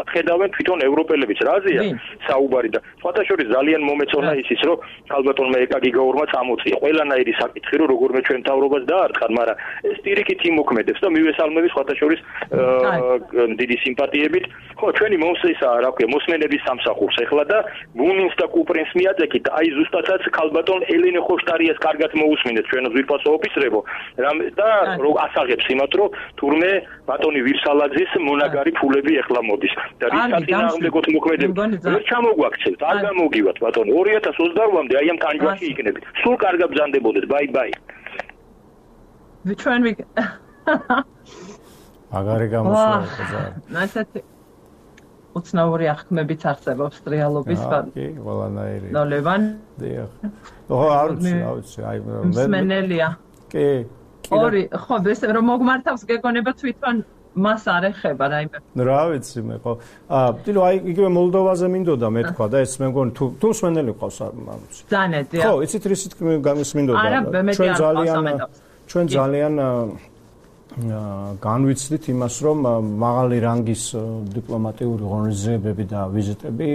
ხედავენ თვითონ ევროპელებიც რაზეა საუბარი და სხვათა შორის ძალიან მომეწონა ისიც რომ ალბათონმა ეკაგი გაურმა წამოწია. ყველანაირი საკითხი რომ როგორმე ჩვენ თავრობას დაარტყან, მაგრამ ეს პირიქით იმოქმედებს და მივესალმები სხვათა დიდი სიმპათიებით. ხო, ჩვენი მომსესა, რა ქვია, მოსმენების სამსახურს ეხლა და ბუნინს და კუპრინს მიაწეკით, აი ზუსტადაც ქალბატონ ელენე ხოშტარიას კარგად მოусმინეთ ჩვენ ზვირფასო ოფიცრებო. და რო ასაღებს იმათ, რომ თურმე ბატონი ვირსალაძის მონაგარი ფულები ეხლა მოდის. და რის საწინააღმდეგოდ მოქმედებს. ვერ ჩამოგვაქცევთ, არ გამოგივათ ბატონო. 2028-მდე აი ამ ტანჯვაში იქნებით. სულ კარგად ბრძანდებოდეთ. ბაი. ჩვენ აგარი გამოსვლა. ასეთი უცნაური აღქმებიც არსებობს რეალობის ბანკი. კი, ყველანაირი. ნოლევან. დიახ. ხო, არ ვიცი, აი მსმენელია. კი. ორი, ხო, ეს რომ მოგმართავს გეკონება თვითონ მას არ ეხება რაიმე. რა ვიცი მე ხო. ტილო აი იგივე მოლდოვაზე მინდოდა მე თქვა და ეს მე მგონი თუ მსმენელი ყავს არ ვიცი. ზანეტია. ხო, იცით რისით მინდოდა. ჩვენ ძალიან განვიცდით იმას, რომ მაღალი რანგის დიპლომატიური ღონისძიებები და ვიზიტები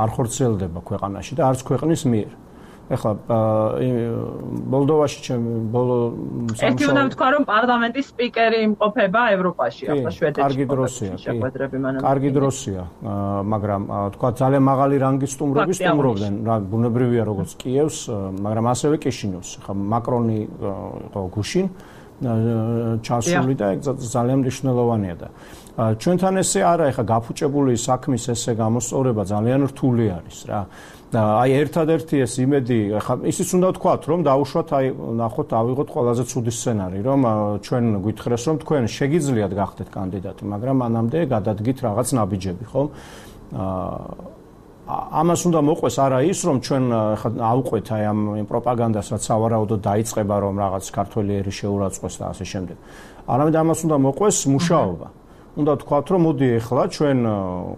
არ ხორციელდება ქვეყანაში და არც ქვეყნის მიერ. ეხლა მოლდოვაში ბოლო ერთი უნდა ვთქვა, რომ პარლამენტის სპიკერი იმყოფება ევროპაში, ახლა შვედეთში. კარგი დროსია, კარგი დროსია, მაგრამ თქვა ძალიან მაღალი რანგის სტუმრები სტუმრობდნენ, რა ბუნებრივია როგორც კიევს, მაგრამ ასევე კიშინევს. ეხლა მაკრონი გუშინ ჩასული და ძალიან მნიშვნელოვანია და ჩვენთან ესე არა, ეხლა გაფუჭებული საქმის ესე გამოსწორება ძალიან რთული არის რა. და აი ერთადერთი ეს იმედი, ეხლა ისიც უნდა ვთქვათ, რომ დაუშვათ, აი ნახოთ, ავიღოთ ყველაზე ცუდი სცენარი, რომ ჩვენ გვითხრეს, რომ თქვენ შეგიძლიათ გახდეთ კანდიდატი, მაგრამ მანამდე გადადგით რაღაც ნაბიჯები, ხო? ამას უნდა მოყვეს არა ის, რომ ჩვენ ხა ავყვეთ აი ამ პროპაგანდას, რაც სავარაუდოდ დაიწყება, რომ რაღაც ქართველი ერი შეურაცხყვეს და ასე შემდეგ. არამედ ამას უნდა მოყვეს მუშაობა. უნდა ვთქვათ, რომ მოდი ეხლა ჩვენ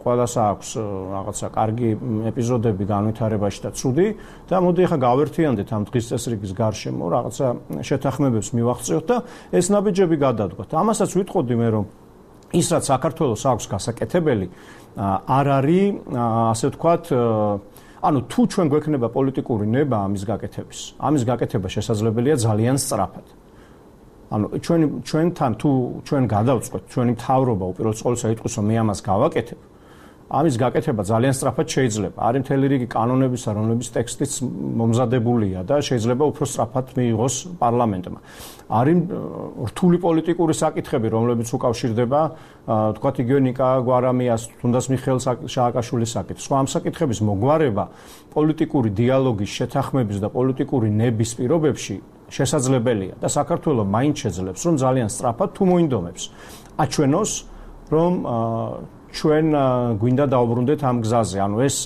ყველას აქვს რაღაცა კარგი ეპიზოდები განვითარებაში და ცუდი და მოდი ეხლა გავერთიანდეთ ამ დღის წესრიგის გარშემო რაღაცა შეთანხმებებს მივახციოთ და ეს ნაბიჯები გადადგოთ. ამასაც ვიტყოდი მე, რომ ის რაც საქართველოს აქვს გასაკეთებელი არ არის, ასე ვთქვათ, ანუ თუ ჩვენ გვექნება პოლიტიკური ნება ამის გაკეთების, ამის გაკეთება შესაძლებელია ძალიან სწრაფად. ანუ ჩვენთან თუ ჩვენ გადავწყვეტ, ჩვენი მთავრობა უპირველეს ყოვლისა იტყვის, რომ მე ამას გავაკეთებ, ამის გაკეთება ძალიან სწრაფად შეიძლება. არის მთელი რიგი კანონებისა, რომლებიც ტექსტიც მომზადებულია და შეიძლება უფრო სწრაფად მიიღოს პარლამენტმა. არის რთული პოლიტიკური საკითხები, რომლებიც უკავშირდება, თქვათ იგივე ნიკა გვარამიას, თუნდაც მიხეილ შააკაშვილის საკითხს. სხვა ამ საკითხების მოგვარება პოლიტიკური დიალოგის, შეთანხმების და პოლიტიკური ნების პირობებში შესაძლებელია და საქართველოს მაინც შეძლებს, რომ ძალიან სწრაფად თუ მოინდომებს აჩვენოს, რომ ჩვენ გვინდა დაუბრუნდეთ ამ გზაზე. ანუ ეს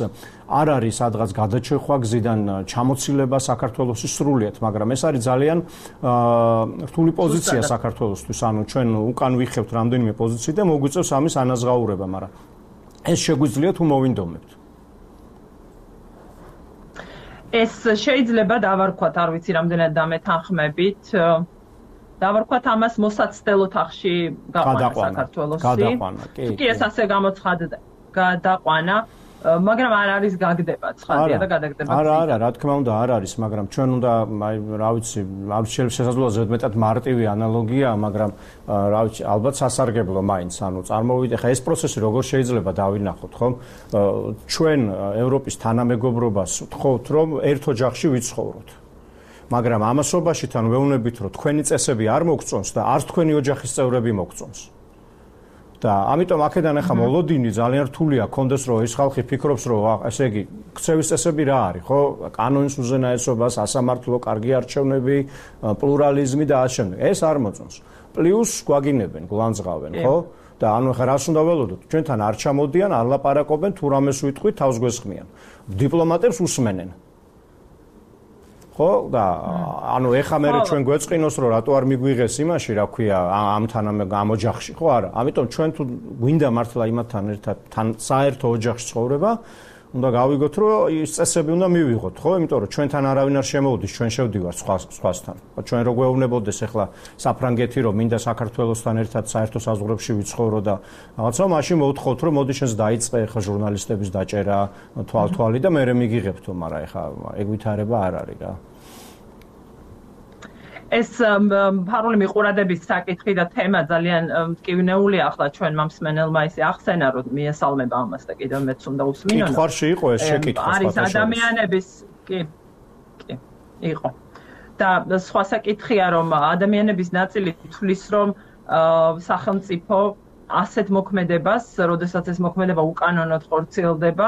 არ არის სადღაც გადაჭრა გზიდან ჩამოცილება საქართველოს სრულიად, მაგრამ ეს არის ძალიან რთული პოზიცია საქართველოსთვის. ანუ ჩვენ უკან ვიხევთ რამდენიმე პოზიციი და მოგვიწევს ამის ანაზღაურება, მაგრამ ეს შეგვიძლია თუ მოვინდომებთ. ეს შეიძლება დავარქვათ, არ ვიცი რამდენად დამეთანხმებით. დავარქვათ ამას მოსაცდელო თახში გაყვანა საქართველოსი. გადაყვანა, კი, ეს ასე გამოცხადდა. გადაყვანა, მაგრამ არ არის გაგდება ცხადია და გადაგდება. არა, რა თქმა უნდა არ არის, მაგრამ ჩვენ უნდა, რა ვიცი, შესაძლოა ზედმეტად მარტივი ანალოგია, მაგრამ რა ვიცი, ალბათ სასარგებლო მაინც, ანუ წარმოვიდე, ხა ეს პროცესი როგორ შეიძლება დავინახოთ, ხომ? ჩვენ ევროპის თანამეგობრობას ვთხოვთ, რომ ერთ ოჯახში ვიცხოვროთ. მაგრამ ამასობაში თან ვეუბნებით, რომ თქვენი წესები არ მოგწონს და არც თქვენი ოჯახის წევრები მოგწონს. და ამიტომ აქედან ახლა მოლოდინი ძალიან რთულია, კონდეს რომ ეს ხალხი ფიქრობს, რომ ესე იგი, ქცევის წესები რა არის, ხო? კანონის უზენაესობა, სასამართლო, კარგი არჩევნები, პლურალიზმი და ასე შემდეგ. ეს არ მოწონს. პლუს გვაგინებენ, გულანძღავენ, ხო? და ანუ ახლა რას უნდა ველოდოთ? ჩვენთან არ ჩამოდიან, არ ლაპარაკობენ, თუ რამეს ვიტყვით, თავს გვესხმიან. დიპლომატებს უსმენენ. ხო და ანუ ეხა მე ჩვენ გვეწყინოს რომ რატო არ მიგვიღეს იმაში რა ქვია ამთან ამ ოჯახში ხო არა ამიტომ ჩვენ თუ გვინდა მართლა იმათთან ერთად თან საერთო ოჯახში ცხოვრება უნდა გავიგოთ რომ ის წესები უნდა მივიღოთ ხო იმიტომ რომ ჩვენთან არავინ არ შემოვიდეს ჩვენ შევდივართ სხვასთან ჩვენ რო გვეუბნებოდეს ეხლა საფრანგეთი რომ მინდა საქართველოსთან ერთად საერთო საზღვრებში ვიცხოვრო და რაღაცა მაშინ მოვთხოვთ რომ მოდი შენს დაიწყე ეხლა ჟურნალისტების დაჭერა თვალთვალი და მე მიგიღებთო მაგრამ ეხლა ეგ ვითარება არ არის რა ეს ფარული მიყურადების საკითხი და თემა ძალიან მტკივნეულია ახლა ჩვენ მომსმენელმა ისე ახსენა რომ მიესალმება ამას და კიდევ მეც უნდა უსმინო. კითხვაში იყო ეს შეკითხვა არის ადამიანების კი იყო. და სხვა საკითხია რომ ადამიანების ნაწილი თვლის რომ სახელმწიფო ასეთ მოქმედებას, როდესაც ეს მოქმედება უკანონოდ ხორციელდება,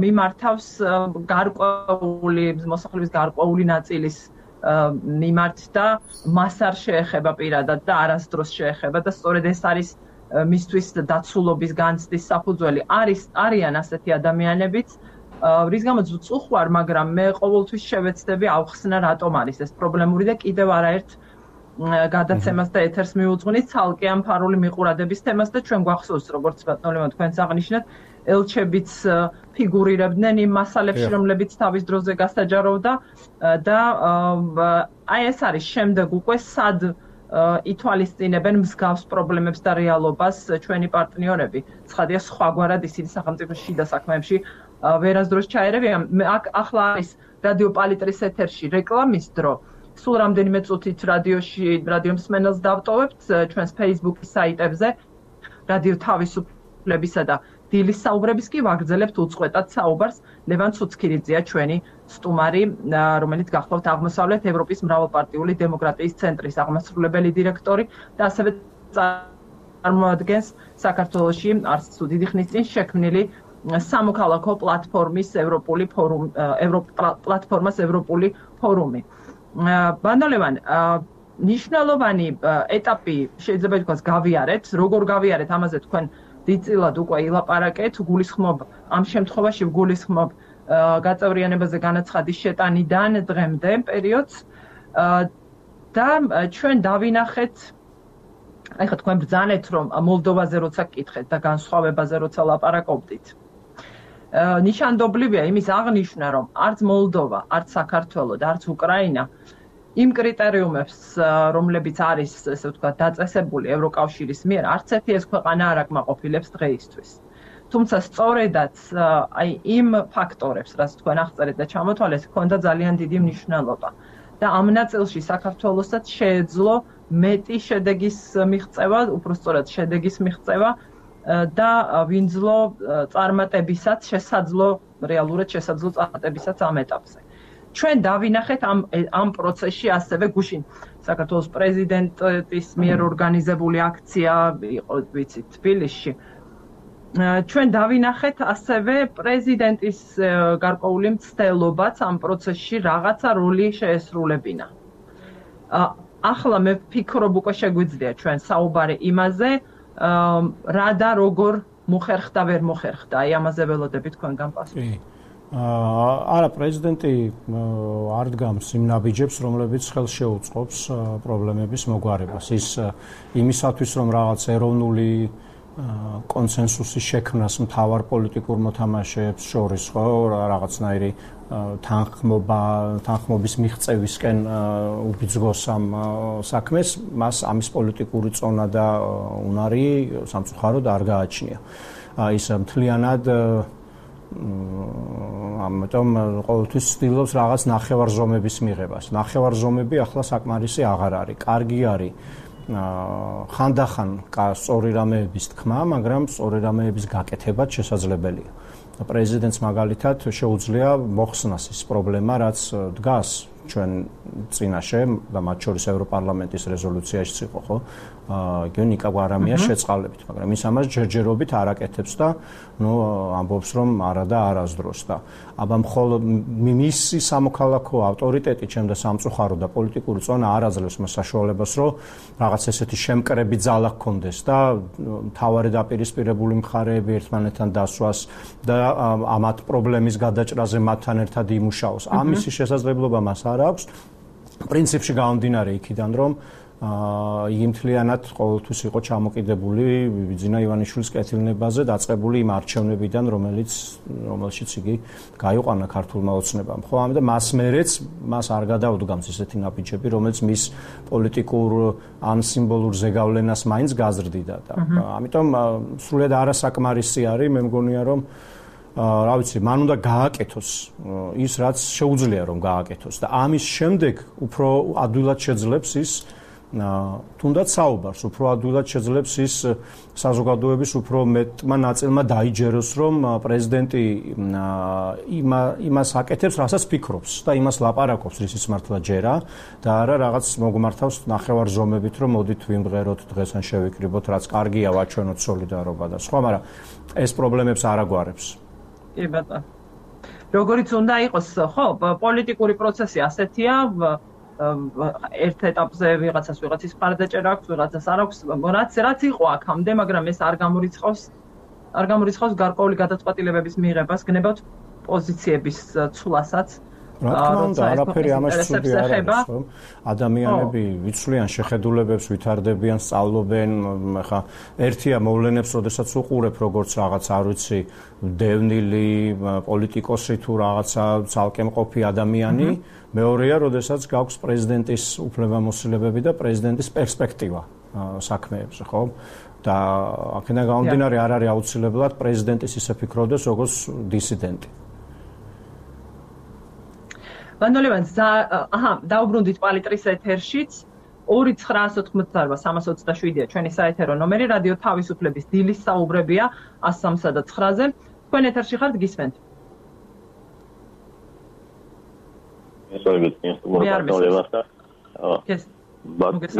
მიმართავს გარკვეული მოსახლეობის გარკვეული ნაწილის მიმართ და მას არ შეეხება პირადად და არასდროს შეეხება და სწორედ ეს არის მისთვის დაცულობის განცდის საფუძველი. არიან ასეთი ადამიანებიც, რის გამოც ვწუხვარ, მაგრამ მე ყოველთვის შევეცდები ავხსნა რატომ არის ეს პრობლემური და კიდევ არაერთ გადაცემას და ეთერს მიუძღვნით ცალკე ამ ფარული მიყურადების თემას და ჩვენ გვახსოვს როგორც ბატონო თქვენს აღნიშნეთ ელჩებიც ფიგურირებდნენ იმ მასალებში, რომლებიც თავის დროზე გასაჯაროვდა და აი ეს არის შემდეგ უკვე სად ითვალისწინებენ მსგავს პრობლემებს და რეალობას ჩვენი პარტნიორები. ცხადია სხვაგვარად ისინი სახელმწიფოს შიდა საქმეებში ვერასდროს ჩაერევიან. ახლა არის რადიო პალიტრის ეთერში რეკლამის დრო. სულ რამდენიმე წუთით რადიო მსმენელს დავტოვებთ ჩვენს Facebook-ის საიტებზე რადიო თავისუფლებისა და დილის საუბრების კი ვაგრძელებთ უწყვეტად საუბარს ლევან ცუცქირიძეა ჩვენი სტუმარი რომელიც გახლავთ აღმოსავლეთ ევროპის მრავალპარტიული დემოკრატიის ცენტრის აღმასრულებელი დირექტორი და ასევე წარმოადგენს საქართველოში არც თუ დიდი ხნის წინ შექმნილი სამოქალაქო პლატფორმის ევროპული ფორუმი. ბანდოლევან ნიშნულოვანი ეტაპი შეიძლება ითქვას გავიარეთ, როგორ გავიარეთ ამაზე თქვენ დიდწილად უკვე ილაპარაკეთ, გულისხმობ ამ შემთხვევაში გულისხმობ გაწევრიანებაზე განაცხადის შეტანიდან დღემდე პერიოდს და ჩვენ დავინახეთ აი ხა თქვენ ბრძანეთ რომ მოლდოვაზე როცა გკითხეთ და განსხვავებაზე როცა ლაპარაკობდით ნიშანდობლივია იმის აღნიშვნა რომ არც მოლდოვა, არც საქართველო და არც უკრაინა იმ კრიტერიუმებს, რომლებიც არის, ესე ვთქვათ, დაწესებული ევროკავშირის მიერ, არც ერთი ეს ქვეყანა არ აკმაყოფილებს დღეისთვის. თუმცა სწორედაც აი იმ ფაქტორებს, რაც თქვენ აღწერეთ და ჩამოთვალეთ, ჰქონდა ძალიან დიდი მნიშვნელობა. და ამ ნაწილში საქართველოსაც შეეძლო მეტი შედეგის მიღწევა, უბრალოდ შედეგის მიღწევა და ვინძლო წარმატებისაც შესაძლო რეალურად შესაძლო წარმატებისაც ამ ეტაპზე. ჩვენ დავინახეთ ამ პროცესში ასევე გუშინ საქართველოს პრეზიდენტის მიერ ორგანიზებული აქცია იყო ვიცით თბილისში. ჩვენ დავინახეთ ასევე პრეზიდენტის გარკვეული მცდელობაც ამ პროცესში რაღაცა როლი შეესრულებინა. ახლა მე ვფიქრობ უკვე შეგვიძლია ჩვენ საუბარი იმაზე რა და როგორ მოხერხდა ვერ მოხერხდა. აი ამაზე ველოდებით თქვენგან პასუხი. არა პრეზიდენტი არ დგამს იმ ნაბიჯებს, რომლებიც ხელს შეუწყობს პრობლემების მოგვარებას. ის იმისათვის რომ რაღაც ეროვნული კონსენსუსის შექმნას მთავარ პოლიტიკურ მოთამაშეებს შორის ხო რაღაცნაირი თანხმობის მიღწევისკენ უბიძგოს ამ საქმეს, მას ამის პოლიტიკური წონა და უნარი სამწუხაროდ არ გააჩნია. ის მთლიანად ამიტომ ყოველთვის ცდილობს რაღაც ნახევარზომების მიღებას. ნახევარზომები ახლა საკმარისი აღარ არის. კარგი არის ხანდახან სწორი რამეების თქმა, მაგრამ სწორი რამეების გაკეთებაც შესაძლებელია. პრეზიდენტს მაგალითად შეუძლია მოხსნას ის პრობლემა, რაც დგას ჩვენ წინაშე და მათ შორის ევროპარლამენტის რეზოლუციაში იყო, ხო? ნიკა გვარამიას შეწყალებით, მაგრამ ის ამას ჯერჯერობით არ აკეთებს და ამბობს რომ არა და არასდროს და აბა მხოლოდ მისი სამოქალაქო ავტორიტეტი ჩემდა სამწუხარო და პოლიტიკური წონა არ აძლევს მას საშუალებას რომ რაღაც ესეთი შემკრები ძალა ჰქონდეს და მთავარი დაპირისპირებული მხარეები ერთმანეთთან დასვას და ამათ პრობლემის გადაჭრაზე მათთან ერთად იმუშაოს. ამისი შესაძლებლობა მას არ აქვს. პრინციპში გამომდინარე იქიდან რომ იგი მთლიანად ყოველთვის იყო ჩამოკიდებული ბიძინა ივანიშვილის კეთილნებაზე დაწყებული იმ არჩევნებიდან, რომელშიც იგი გაიყვანა ქართულმა ოცნებამ. ხო, ამიტომ მას მერეც მას არ გადაუდგამს ესეთი ნაბიჯები, რომელიც მის პოლიტიკურ ან სიმბოლურ ზეგავლენას მაინც გაზრდიდა და ამიტომ სრულიად არასაკმარისი არის, მე მგონია რომ რა ვიცი, მან უნდა გააკეთოს ის, რაც შეუძლია რომ გააკეთოს და ამის შემდეგ უფრო ადვილად შეძლებს ის თუნდაც საუბარს, უფრო ადვილად შეძლებს ის საზოგადოების უფრო მეტმა ნაწილმა დაიჯეროს, რომ პრეზიდენტი იმას აკეთებს, რასაც ფიქრობს და იმას ლაპარაკობს, რისიც მართლა ჯერა და არა რაღაც მოგმართავს ნახევარზომებით, რომ მოდით ვიმღეროთ დღეს ან შევიკრიბოთ, რაც კარგია, ვაჩვენოთ სოლიდარობა და სხვა, მაგრამ ეს პრობლემებს არ აგვარებს. კი ბატონო. როგორიც უნდა იყოს, ხო, პოლიტიკური პროცესი ასეთია, ერთ ეტაპზე ვიღაცას ვიღაცის მხარდაჭერა აქვს, ვიღაცას არ აქვს, რაც იყო აქამდე, მაგრამ ეს არ გამორიცხავს გარკვეული გადაწყვეტილებების მიღებას, გნებავთ პოზიციების ცვლასაც. რა თქმა უნდა, არაფერი ამაში ცუდი არ არის, ხო? ადამიანები ვიცვლიან შეხედულებებს, ვითარდებიან, სწავლობენ, ხა ერთია მოვლენებს, როდესაც უყურებ როგორც რაღაც, არ ვიცი, დევნილი პოლიტიკოსი თუ რაღაცა ცალკე მყოფი ადამიანი, მეორეა, როდესაც გაქვს პრეზიდენტის უფლებამოსილებები და პრეზიდენტის პერსპექტივა საქმეებზე, ხო? და აქედან გამომდინარე არ არის აუცილებლად პრეზიდენტის ისე ფიქრობდეს, როგორც დისიდენტი. ბანდოლევან, დაუბრუნდით პალიტრის ეთერშიც 2988-327-ია ჩვენი საეთერო ნომერი, რადიო თავისუფლების დილის საუბრებია 103-ზე. თქვენ ეთერში ხართ, გისმენთ?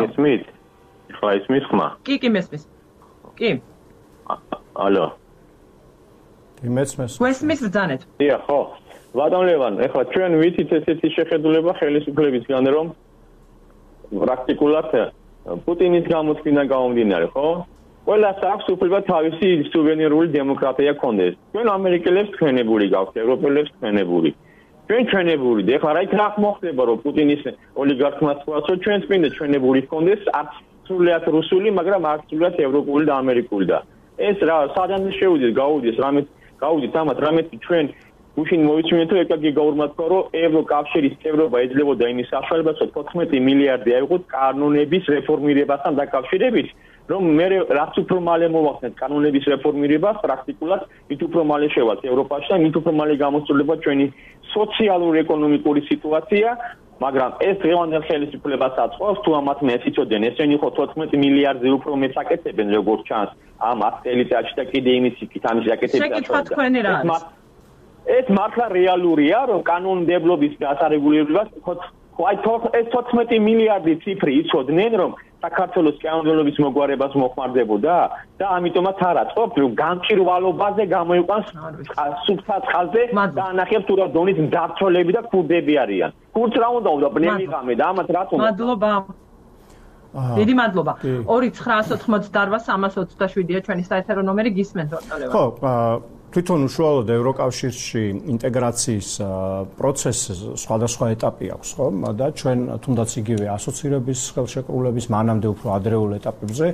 ისმით? ხა ისმის ხმა? კი, მესმის. კი. ალო. იმეცმეს. გვესმის ბრძანეთ. დიახ, ხო. ბატონ ლევან, ეხლა ჩვენ ვიცით ესეთი შეხედულება ხელისუფლებისგან, რომ პრაქტიკულად პუტინის გამოთქმიდან გამომდინარე, ხო? ყველას აქვს უფლება თავისი სუვერენული დემოკრატია ქონდეს. ჩვენ ამერიკელებს თქვენებული გაქვთ, ევროპელებს თქვენებული. ჩვენ ჩვენებული, ეხლა რა იქ რა მოხდება, რომ პუტინის ოლიგარქმა თქვას, რომ ჩვენს მინდა ჩვენებული ქონდეს, არც სრულიად რუსული, მაგრამ არც სრულიად ევროპული და ამერიკული და ეს რა სადან შეუძლიათ გაუდით ამათ რამე ჩვენ უშინ მოვიცინეთ რომ ეკაგი გაურმატყვა რომ ევროკავშირის წევრობა ეძლებოდა იმის საშუალებას რომ 14 მილიარდი აიღოთ კანონების რეფორმირებასთან დაკავშირებით რომ მე რაც უფრო მალე მოვახსნათ კანონების რეფორმირებას პრაქტიკულად მით უფრო მალე შევალთ ევროპაში და მით უფრო მალე გამოსწორდება ჩვენი სოციალურ-ეკონომიკური სიტუაცია მაგრამ ეს დღევანდელ ხელისუფლებას აწყობს თუ ამათ მე იცოდენ ესენი ხო 14 მილიარდზე უფრო მეც აკეთებენ როგორც ჩანს ამ 10 წელიწადში და კიდე იმის იქით ამის აკეთებდა ეს მართლა რეალურია რომ კანონმდებლობის დასარეგულირებას აი ეს 14 მილიარდი ციფრი იცოდნენ რომ საქართველოს კანონმდებლობის მოგვარებას მოხმარდებოდა და ამიტომაც არ აწყობთ რომ გამჭირვალობაზე გამოიყვანს სუფთა წყალზე და ანახებს თუ რა დონის მძარცველები და ქურდები არიან. ქურდს რა უნდა ბნემიღამე და ამათ რა თქმა უნდა. მადლობა. დიდი მადლობა. 2988327-ია ჩვენი საერთო ნომერი გისმენთ ბატონო. ხო, თვითონ უშუალოდ ევროკავშირში ინტეგრაციის პროცესს სხვადასხვა ეტაპი აქვს, ხო? და ჩვენ თუნდაც იგივე ასოცირების ხელშეკრულების მანამდე უფრო ადრეულ ეტაპებზე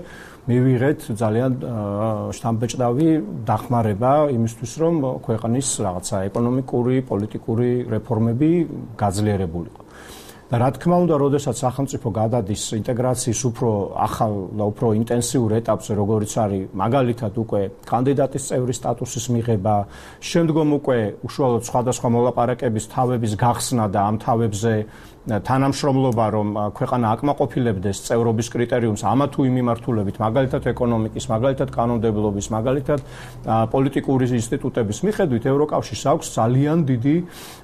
მივიღეთ ძალიან შთამბეჭდავი დახმარება იმისთვის, რომ ქვეყნის რაღაცა ეკონომიკური, პოლიტიკური რეფორმები გაძლიერებულიყო. და რა თქმა უნდა, როდესაც სახელმწიფო გადადის ინტეგრაციის უფრო ახალ და უფრო ინტენსიურ ეტაპზე, როგორიც არის მაგალითად უკვე კანდიდატის წევრის სტატუსის მიღება, შემდგომ უკვე უშუალოდ სხვადასხვა მოლაპარაკების თავების გახსნა და ამ თავებზე თანამშრომლობა, რომ ქვეყანა აკმაყოფილებდეს წევრობის კრიტერიუმს ამა თუ იმ მიმართულებით, მაგალითად ეკონომიკის, მაგალითად კანონმდებლობის, მაგალითად პოლიტიკური ინსტიტუტების მიხედვით, ევროკავშირს აქვს ძალიან დიდი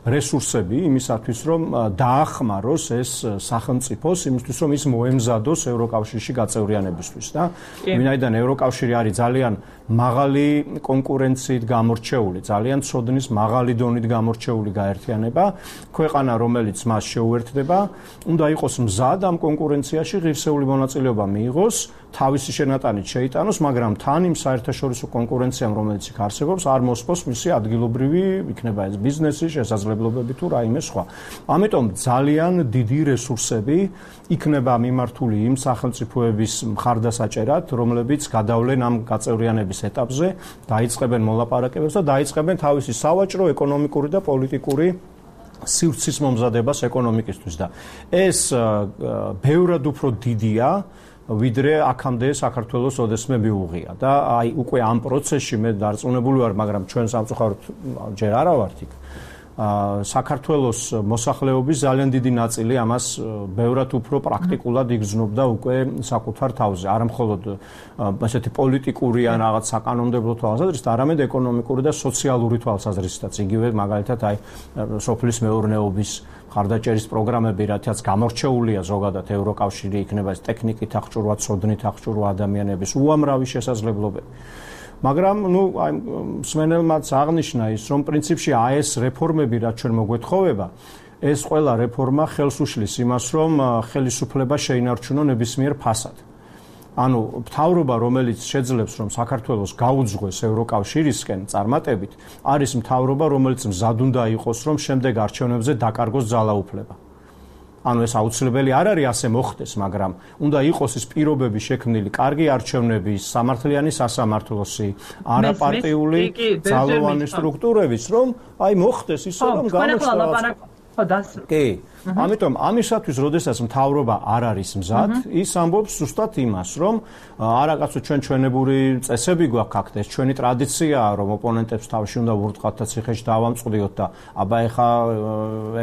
რესურსები იმისათვის, რომ დაახმაროს ეს სახელმწიფოს იმისთვის, რომ ის მოემზადოს ევროკავშირში გაწევრიანებისთვის და ვინაიდან ევროკავშირი არის ძალიან მაღალი კონკურენციით გამორჩეული, ძალიან ცოდნის მაღალი დონით გამორჩეული გაერთიანება, ქვეყანა რომელიც მას შეუერთდება, უნდა იყოს მზად ამ კონკურენციაში ღირსეული მონაწილეობა მიიღოს, თავისი შენატანით შეიტანოს, მაგრამ თან იმ საერთაშორისო კონკურენციამ, რომელიც იქ არსებობს, არ მოსპოს მისი ადგილობრივი, იქნება ეს ბიზნესი, შესაძლებლობები თუ რაიმე სხვა. ამიტომ ძალიან დიდი რესურსები იქნება მიმართული იმ სახელმწიფოების მხარდასაჭერად, რომლებიც გადავლენ ამ გაწევრიანების ეტაპზე, დაიწყებენ მოლაპარაკებებს და დაიწყებენ თავისი სავაჭრო, ეკონომიკური და პოლიტიკური სივრცის მომზადებას ეკონომიკისთვის და ეს ბევრად უფრო დიდია ვიდრე აქამდე საქართველოს ოდესმე მიუღია და აი უკვე ამ პროცესში მე დარწმუნებული ვარ, მაგრამ ჩვენ სამწუხაროდ ჯერ არა ვართ იქ. საქართველოს მოსახლეობის ძალიან დიდი ნაწილი ამას ბევრად უფრო პრაქტიკულად იგრძნობდა უკვე საკუთარ თავზე, არა მხოლოდ ასეთი პოლიტიკური ან რაღაც საკანონმდებლო თვალსაზრისით, არამედ ეკონომიკური და სოციალური თვალსაზრისითაც. იგივე მაგალითად აი სოფლის მეურნეობის ხარდაჭერის პროგრამები, რათაც გამორჩეულია ზოგადად ევროკავშირი, იქნება ეს ტექნიკით აღჭურვა, ცოდნით აღჭურვა ადამიანების უამრავი შესაძლებლობები. მაგრამ აი მსმენელმაც აღნიშნა ის, რომ პრინციპში ეს რეფორმები, რაც ჩვენ მოგვეთხოვება, ეს ყველა რეფორმა ხელს უშლის იმას, რომ ხელისუფლება შეინარჩუნო ნებისმიერ ფასად. ანუ მთავრობა, რომელიც შეძლებს, რომ საქართველოს გაუძღვეს ევროკავშირისკენ წარმატებით, არის მთავრობა, რომელიც მზად უნდა იყოს, რომ შემდეგ არჩევნებზე დაკარგოს ძალაუფლება. ანუ ეს აუცილებელი არ არის ასე მოხდეს, მაგრამ უნდა იყოს ის პირობები შექმნილი კარგი არჩევნების, სამართლიანი სასამართლოსი, არაპარტიული ძალოვანი სტრუქტურების, რომ აი მოხდეს ისე, რომ გამოჩნდეს. კი. ამიტომ ამისათვის, როდესაც მთავრობა არ არის მზად, ის ამბობს ზუსტად იმას, რომ არა კაცო ჩვენ ჩვენებური წესები გვაქვს აქ, ეს ჩვენი ტრადიციაა, რომ ოპონენტებს თავში უნდა ვურტყავთ და ციხეში დავამწყდიოთ და აბა ეხა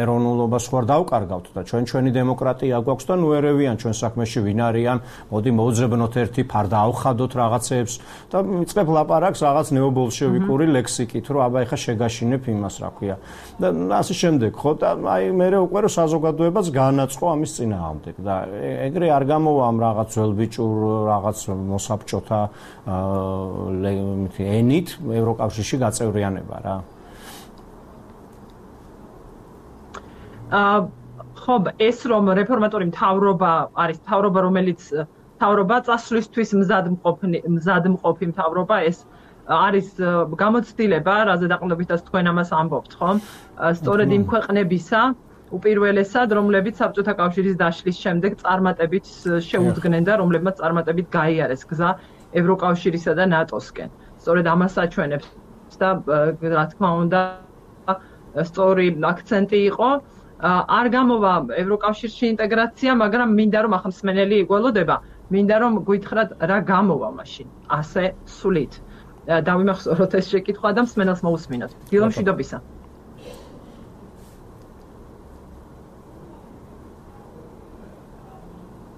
ეროვნულობას ხوار დავკარგავთ და ჩვენი დემოკრატია გვაქვს და ნუ ერევიან ჩვენ საქმეში ვინ არიან, მოდი მოუძებნოთ ერთი ფარდა ავხადოთ რაღაცებს და მიწებ ლაპარაკს რაღაც ნეობოლშევიკური ლექსიკით, რომ აბა ეხა შეგაშინებ იმას, რა ქვია. და ასე შემდეგ, ხო და აი მე უკვე რომ საზოგადოებას გაანაწყო ამის წინააღმდეგ და ეგრე არ გამოვა ამ რაღაც ველბიჭურ რაღაც მოსაბჭოთა ენით ევროკავშირში გაწევრიანება რა. ხო, ეს რომ რეფორმატორი მთავრობა არის მთავრობა, რომელიც მთავრობა წასვლისთვის მზადმყოფი მთავრობა, ეს არის გამოცდილება, რაზე დაყრდნობითაც თქვენ ამას ამბობთ, ხომ? სწორედ იმ ქვეყნებისა უპირველესად, რომლებიც საბჭოთა კავშირის დაშლის შემდეგ წარმატებით შეუდგნენ და რომლებმაც წარმატებით გაიარეს გზა ევროკავშირისა და ნატოსკენ. სწორედ ამას აჩვენებს და რა თქმა უნდა, სწორი აქცენტი იყო. არ გამოვა ევროკავშირში ინტეგრაცია, მაგრამ მინდა რომ ახლა მსმენელი იგველოდება, მინდა რომ გითხრათ რა გამოვა მაშინ ასე სულით. დავიმახსოვროთ ეს შეკითხვა და მსმენელს მოусმინოთ. დილო მშვიდობისა.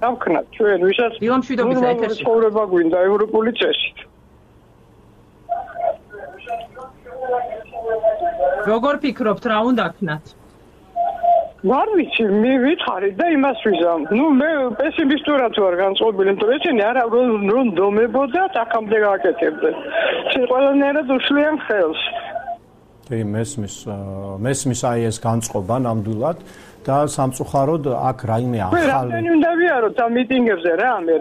დავქნათ ჩვენ ვისაც ნორმალური ცხოვრება გვინდა ევროპული წესით. როგორ ფიქრობთ, რა უნდა ქნათ? ვარ ვიცი, მე ვითხარით და იმას ვიზამ. მე პესიმისტურად ვარ განწყობილი, იმიტომ რომ ესენი არა რომ დომებოდათ, აქამდე გააკეთებდნენ. ისინი ყველანაირად უშლიან ხელს. კი, მესმის აი ეს განწყობა ნამდვილად და სამწუხაროდ აქ რაიმე ახალი. რამდენი უნდა ვიაროთ ამ მიტინგებზე რა მე.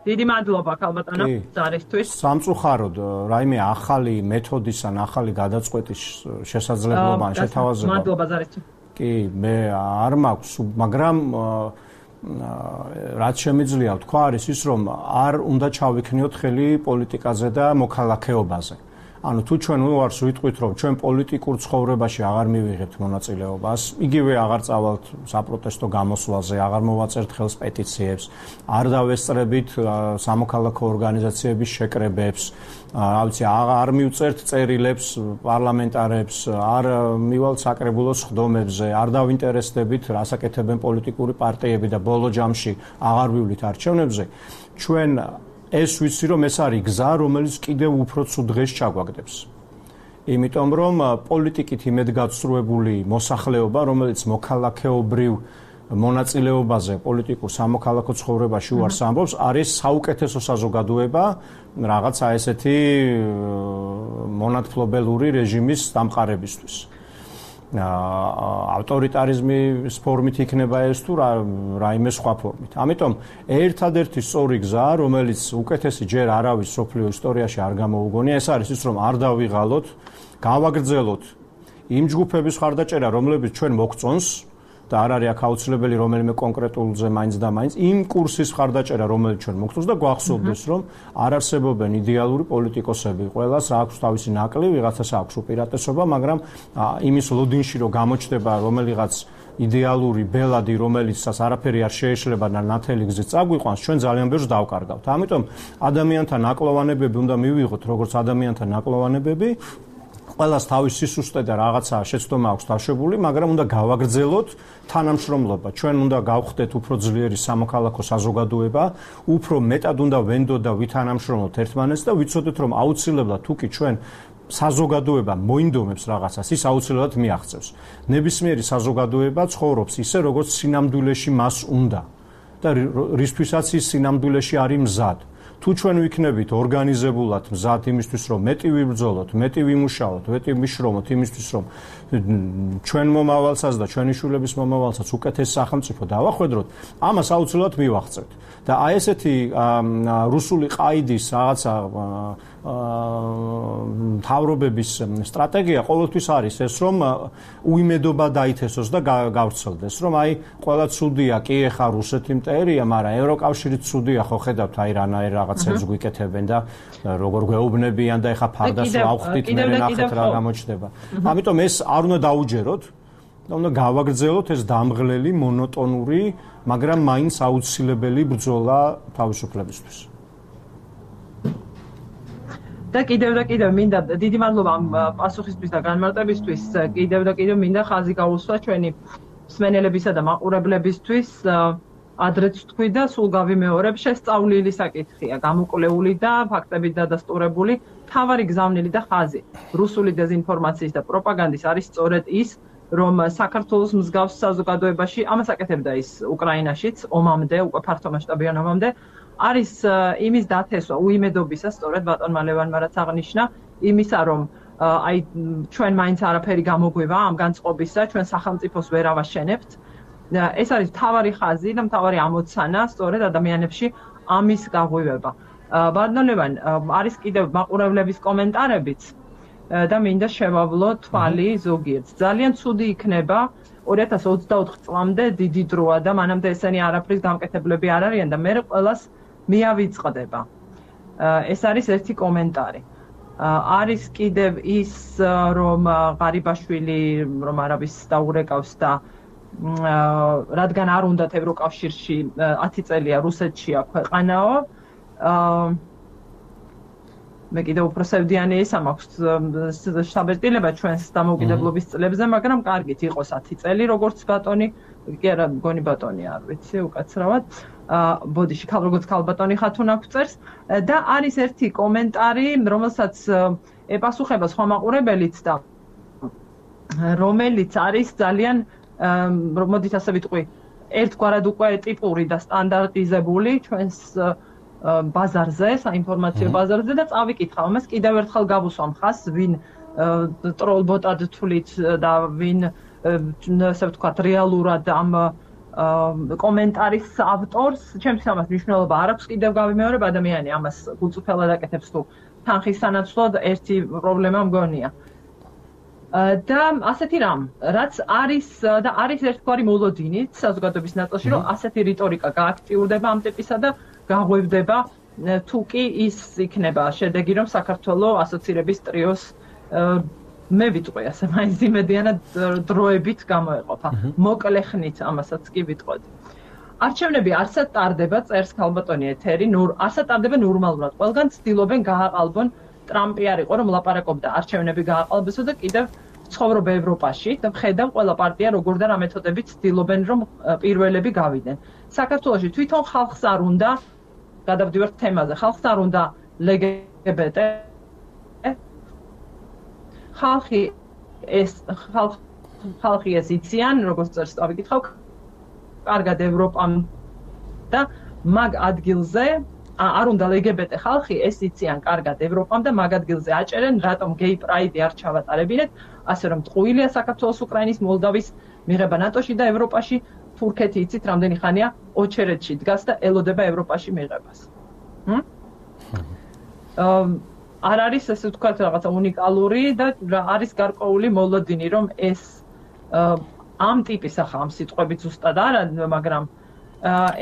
დიდი მადლობა ქალბატონო ზარისთვის. სამწუხაროდ რაიმე ახალი მეთოდის ან ახალი გადაწყვეტის შესაძლებლობა ან შეთავაზება. მადლობა ზარისთვის. კი, მე არ მაქვს, მაგრამ რაც შემიძლია ვთქვა არის ის, რომ არ უნდა ჩავიქნიოთ ხელი პოლიტიკაზე და მოქალაქეობაზე. ანუ თუ ჩვენ უარს ვიტყვით, რომ ჩვენ პოლიტიკურ ცხოვრებაში აღარ მივიღებთ მონაწილეობას, იგივე აღარ წავალთ საპროტესტო გამოსვლაზე, აღარ მოვაწერთ ხელს პეტიციებს, არ დავესწრებით სამოქალაქო ორგანიზაციების შეკრებებს, არ მივწერთ წერილებს პარლამენტარებს, არ მივალთ საკრებულოს ხდომებზე, არ დავინტერესდებით, რას აკეთებენ პოლიტიკური პარტიები და ბოლო ჯამში აღარ ვივლით არჩევნებზე, ჩვენ ეს ვიცი რომ ეს არის გზა, რომელიც კიდევ უფრო ცუდ დღეს ჩაგვაგდებს. იმიტომ რომ პოლიტიკით იმედგაცრუებული მოსახლეობა, რომელიც მოქალაქეობრივ მონაწილეობაზე პოლიტიკურ სამოქალაქო ცხოვრებაში უარს ამბობს, არის საუკეთესო საზოგადოება რაღაცა ესეთი მონათფლობელური რეჟიმის დამყარებისთვის. ავტორიტარიზმის ფორმით იქნება ეს თუ რაიმე სხვა ფორმით. ამიტომ ერთადერთი სწორი გზა, რომელიც უკეთესი ჯერ არავის სოფლიო ისტორიაში არ გამოუგონია, ეს არის ის, რომ არ დავიღალოთ, გავაგრძელოთ იმ ჯგუფების ხარდაჭერა, რომლებიც ჩვენ მოგწონს და არ არის აქ აუცილებელი რომელიმე კონკრეტულზე მაინც და მაინც იმ კურსის ხარდაჭერა, რომელიც ჩვენ მოგწონს და გვახსოვდეს, რომ არ არსებობენ იდეალური პოლიტიკოსები. ყველას აქვს თავისი ნაკლი, ვიღაცას აქვს უპირატესობა, მაგრამ იმის ლოდინში რომ გამოჩნდება რომელიღაც იდეალური ბელადი, რომელიცაც არაფერი არ შეეშლება და ნათელი გზით წაგვიყვანს, ჩვენ ძალიან ბევრს დავკარგავთ. ამიტომ ადამიანთა ნაკლოვანებები უნდა მივიღოთ, როგორც ადამიანთა ნაკლოვანებები. ყველას თავის სისუსტე და რაღაცა შეცდომა აქვს დაშვებული, მაგრამ უნდა გავაგრძელოთ თანამშრომლობა. ჩვენ უნდა გავხდეთ უფრო ძლიერი სამოქალაქო საზოგადოება, უფრო მეტად უნდა ვენდოთ და ვითანამშრომლოთ ერთმანეთს და ვიცოდეთ, რომ აუცილებლად თუ კი ჩვენ საზოგადოება მოინდომებს რაღაცას, ის აუცილებლად მიაღწევს. ნებისმიერი საზოგადოება ცხოვრობს ისე, როგორც სინამდვილეში მას უნდა და რისთვისაც ის სინამდვილეში არის მზად. თუ ჩვენ ვიქნებით ორგანიზებულად მზად იმისთვის, რომ მეტი ვიბრძოლოთ, მეტი ვიმუშაოთ, მეტი ვიშრომოთ იმისთვის, რომ ჩვენ მომავალსაც და ჩვენი შვილების მომავალსაც უკეთეს სახელმწიფო დავახვედროთ, ამას აუცილებლად მივახცევთ. და აი ესეთი რუსული ყაიდის რაღაცა მთავრობების სტრატეგია ყოველთვის არის ეს, რომ უიმედობა დაითესოს და გავრცელდეს, რომ აი ყველა ცუდია, კი ეხა რუსეთი მტერია, მაგრამ ევროკავშირიც ცუდია, ხო ხედავთ აი რანაირ რაღაცებს გვიკეთებენ და როგორ გვეუბნებიან და ეხა ფარდას ავხდით, მე ნახეთ რა გამოჩნდება. ამიტომ ეს არ უნდა დაუჯეროთ და უნდა გავაგრძელოთ ეს დამღლელი, მონოტონური, მაგრამ მაინც აუცილებელი ბრძოლა თავისუფლებისთვის. და კიდევ მინდა დიდი მადლობა ამ პასუხისთვის და განმარტებისთვის. კიდევ მინდა ხაზი გაუსვა ჩვენი მსმენელებისა და მაყურებლებისთვის. ადრეც თქვი და სულ გავიმეორებ, შესწავლილი საკითხია, გამოკვლეული და ფაქტებით დადასტურებული. თავარი გზავნილი და ხაზი რუსული დეзинფორმაციის და პროპაგანდის არის სწორედ ის, რომ საქართველოს მსგავს საზოგადოებაში, ამას აკეთებდა ის უკრაინაშიც, ომამდე, უკვე ფართომასშტაბიან ომამდე, არის იმის დათესვა, უიმედობისა, სწორედ ბატონმა ლევანმა რაც აღნიშნა, იმისა, რომ აი ჩვენ მაინც არაფერი გამოგვივა ამ განწყობისა, ჩვენ სახელმწიფოს ვერ ავაშენებთ. ეს არის მთავარი ხაზი და მთავარი ამოცანა სწორედ ადამიანებში ამის გაღვივება. ბატონ ლევან, არის კიდევ მაყურებლების კომენტარებიც და მინდა შევავლო თვალი ზოგიერთს. ძალიან ცუდი იქნება 2024 წლამდე დიდი დროა და მანამდე ესენი არაფრის გამკეთებლები არ არიან და მე ყველას მიავიწყდება. ეს არის ერთი კომენტარი. არის კიდევ ის, რომ ღარიბაშვილი რომ არავის დაურეკავს და რადგან არ უნდათ ევროკავშირში 10 წელია რუსეთშია ქვეყანაო. მე კიდევ უფრო სევდიანი ისა მაქვს შთაბეჭდილება ჩვენს დამოუკიდებლობის წლებზე, მაგრამ კარგით იყოს 10 წელი, როგორც ბატონი კი არა გონი ბატონი არ ვიცი უკაცრავად ბოდიში როგორც ქალბატონი ხათუნა გვწერს და არის ერთი კომენტარი რომელსაც ეპასუხება სხვა მაყურებელიც და რომელიც არის ძალიან მოდით ასე ვიტყვი ერთგვარად უკვე ტიპური და სტანდარტიზებული ჩვენს ბაზარზე, საინფორმაციო ბაზარზე და წავიკითხავ ამას კიდევ ერთხელ გავუსვამ ხას, ვინ ტროლბოტად თვლით და ვინ ასე ვთქვათ რეალურად ამ კომენტარის ავტორს, ჩემთვის ამას მნიშვნელობა არ აქვს, კიდევ გავიმეორებ ადამიანი ამას გულწრფელად აკეთებს თუ თანხის სანაცვლოდ ერთი პრობლემა მგონია. და ასეთი რამ, რაც არის და არის ერთგვარი მოლოდინით საზოგადოების ნაწილში, რომ ასეთი რიტორიკა გააქტიურდება ამ ტიპისა და გაღვევდება თუ კი ის იქნება შედეგი, რომ საქართველოს ასოცირების ტრიოს მე ვიტყვი ასე მაინც იმედიანად დროებით გამოეყოფა. მოკლე ხნით ამასაც კი ვიტყოდი. არჩევნები არსად ტარდება, წერს ქალბატონი ეთერი, არსად ტარდება ნორმალურად. ყველგან ცდილობენ გააყალბონ ტრამპი არ იყო რომ ლაპარაკობდა არჩევნები გააყალბესო და კიდევ ცხოვრობ ევროპაში და ხედავ ყველა პარტია როგორ და რა მეთოდებით ცდილობენ რომ პირველები გავიდნენ. საქართველოში თვითონ ხალხს არ უნდა გადავდივართ თემაზე, ხალხს არ უნდა LGBT ხალხი ეს იციან, როგორც წერს დავიკითხავ, კარგად ევროპამ და მაგ ადგილზე არ უნდა LGBT ხალხი ეს იციან კარგად ევროპამ და მაგ ადგილზე აჭერენ, რატომ გეი პრაიდი არ ჩავატარებინეთ, ასე რომ ტყუილია საქართველოს, უკრაინის, მოლდავის მიღება ნატოში და ევროპაში, თურქეთი იცით რამდენი ხანია ოჩერეთში დგას და ელოდება ევროპაში მიღებას. არ არის ესე ვთქვათ რაღაცა უნიკალური და არის გარკვეული მოლოდინი რომ ეს ამ ტიპის ახლა ამ სიტყვებით ზუსტად არა, მაგრამ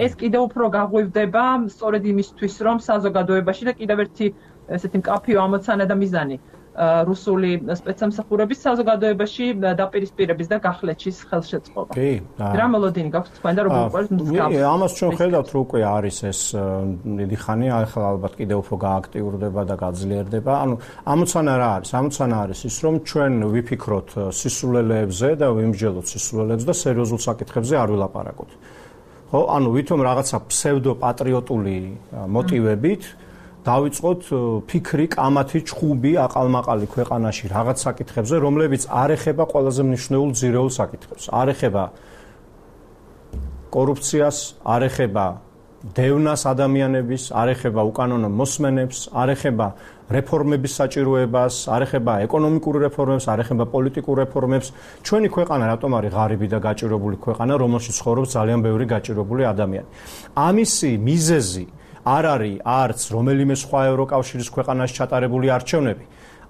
ეს კიდევ უფრო გაღვივდება სწორედ იმისთვის რომ საზოგადოებაში და კიდევ ერთი ესეთი მკაფიო ამოცანა და მიზანი რუსული სპეცსამსახურების საზოგადოებაში დაპირისპირების და გახლეჩის ხელშეწყობა. რა მოლოდინი გაქვთ თქვენ და როგორ უყურებთ მსგავს? ამას ჩვენ ხედავთ რომ უკვე არის ეს დიდი ხანი, ახლა ალბათ კიდევ უფრო გააქტიურდება და გაძლიერდება. ანუ ამოცანა რა არის? ამოცანა არის ის რომ ჩვენ ვიფიქროთ სისულელეებზე და ვიმსჯელოთ სისულელეებს და სერიოზულ საკითხებზე არ ვილაპარაკოთ. ხო, ანუ ვითომ რაღაცა ფსევდოპატრიოტული მოტივებით დავიწყოთ ფიქრი, კამათი, ჩხუბი, აყალმაყალი ქვეყანაში რაღაც საკითხებზე, რომლებიც არ ეხება ყველაზე მნიშვნელოვან ძირეულ საკითხებს. არ ეხება კორუფციას, არ ეხება დევნას ადამიანების, არ ეხება უკანონო მოსმენებს, არ ეხება რეფორმების საჭიროებას, არ ეხება ეკონომიკურ რეფორმებს, არ ეხება პოლიტიკურ რეფორმებს. ჩვენი ქვეყანა რატომ არის ღარიბი და გაჭირებული ქვეყანა, რომელშიც ცხოვრობს ძალიან ბევრი გაჭირებული ადამიანი. ამისი მიზეზი არ არის არც რომელიმე სხვა ევროკავშირის ქვეყანაში ჩატარებული არჩევნები,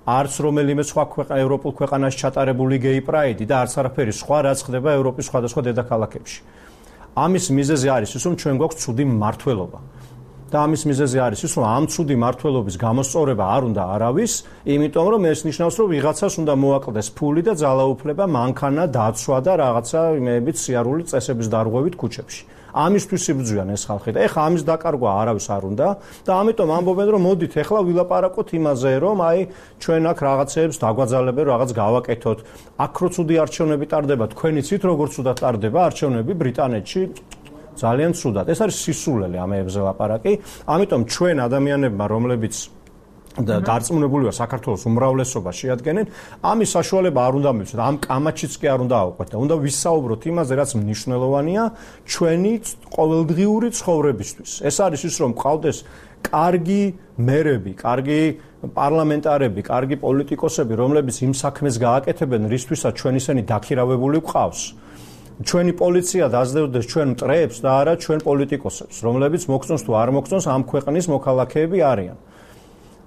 არც რომელიმე სხვა ევროპულ ქვეყანაში ჩატარებული გეი პრაიდი და არც არაფერი სხვა, რაც ხდება ევროპის სხვადასხვა დედაქალაქებში. ამის მიზეზი არის ის, რომ ჩვენ გვაქვს ცუდი მმართველობა. და ამის მიზეზი არის ის, რომ ამ ცუდი მმართველობის გამოსწორება არ უნდა არავის, იმიტომ რომ ეს ნიშნავს, რომ ვიღაცას უნდა მოაკლდეს ფული და ძალაუფლება, მანქანა, დაცვა და რაღაცა იმეებით სიარული წესების დარღვევით ქუჩებში. ამისთვის იბრძვიან ეს ხალხი და ეხლა ამის დაკარგვა არავის არ უნდა და ამიტომ ამბობენ რომ მოდით ეხლა ვილაპარაკოთ იმაზე რომ აი ჩვენ აქ რაღაცებს დაგვაძალებენ რაღაც გავაკეთოთ აქ რო ცუდი არჩევნები ტარდება თქვენ იცით როგორ ცუდად ტარდება არჩევნები ბრიტანეთში ძალიან ცუდად ეს არის სისულელე ამებზე ლაპარაკი ამიტომ ჩვენ ადამიანებმა რომლებიც და დარწმუნებული ვარ საქართველოს უმრავლესობა შეადგენენ ამის საშუალება არ უნდა მივცეთ ამ კამაჩიც კი არ უნდა ავყვეთ და უნდა ვისაუბროთ იმაზე რაც მნიშვნელოვანია ჩვენი ყოველდღიური ცხოვრებისთვის ეს არის ის რომ ყავდეს კარგი მერები კარგი პარლამენტარები კარგი პოლიტიკოსები რომლებიც იმ საქმეს გააკეთებენ რისთვისაც ჩვენ ისინი დაქირავებული გვყავს ჩვენი პოლიცია დაძლევდეს ჩვენ მტრეებს და არა ჩვენ პოლიტიკოსებს რომლებიც მოგწონს თუ არ მოგწონს ამ ქვეყნის მოქალაქეები არიან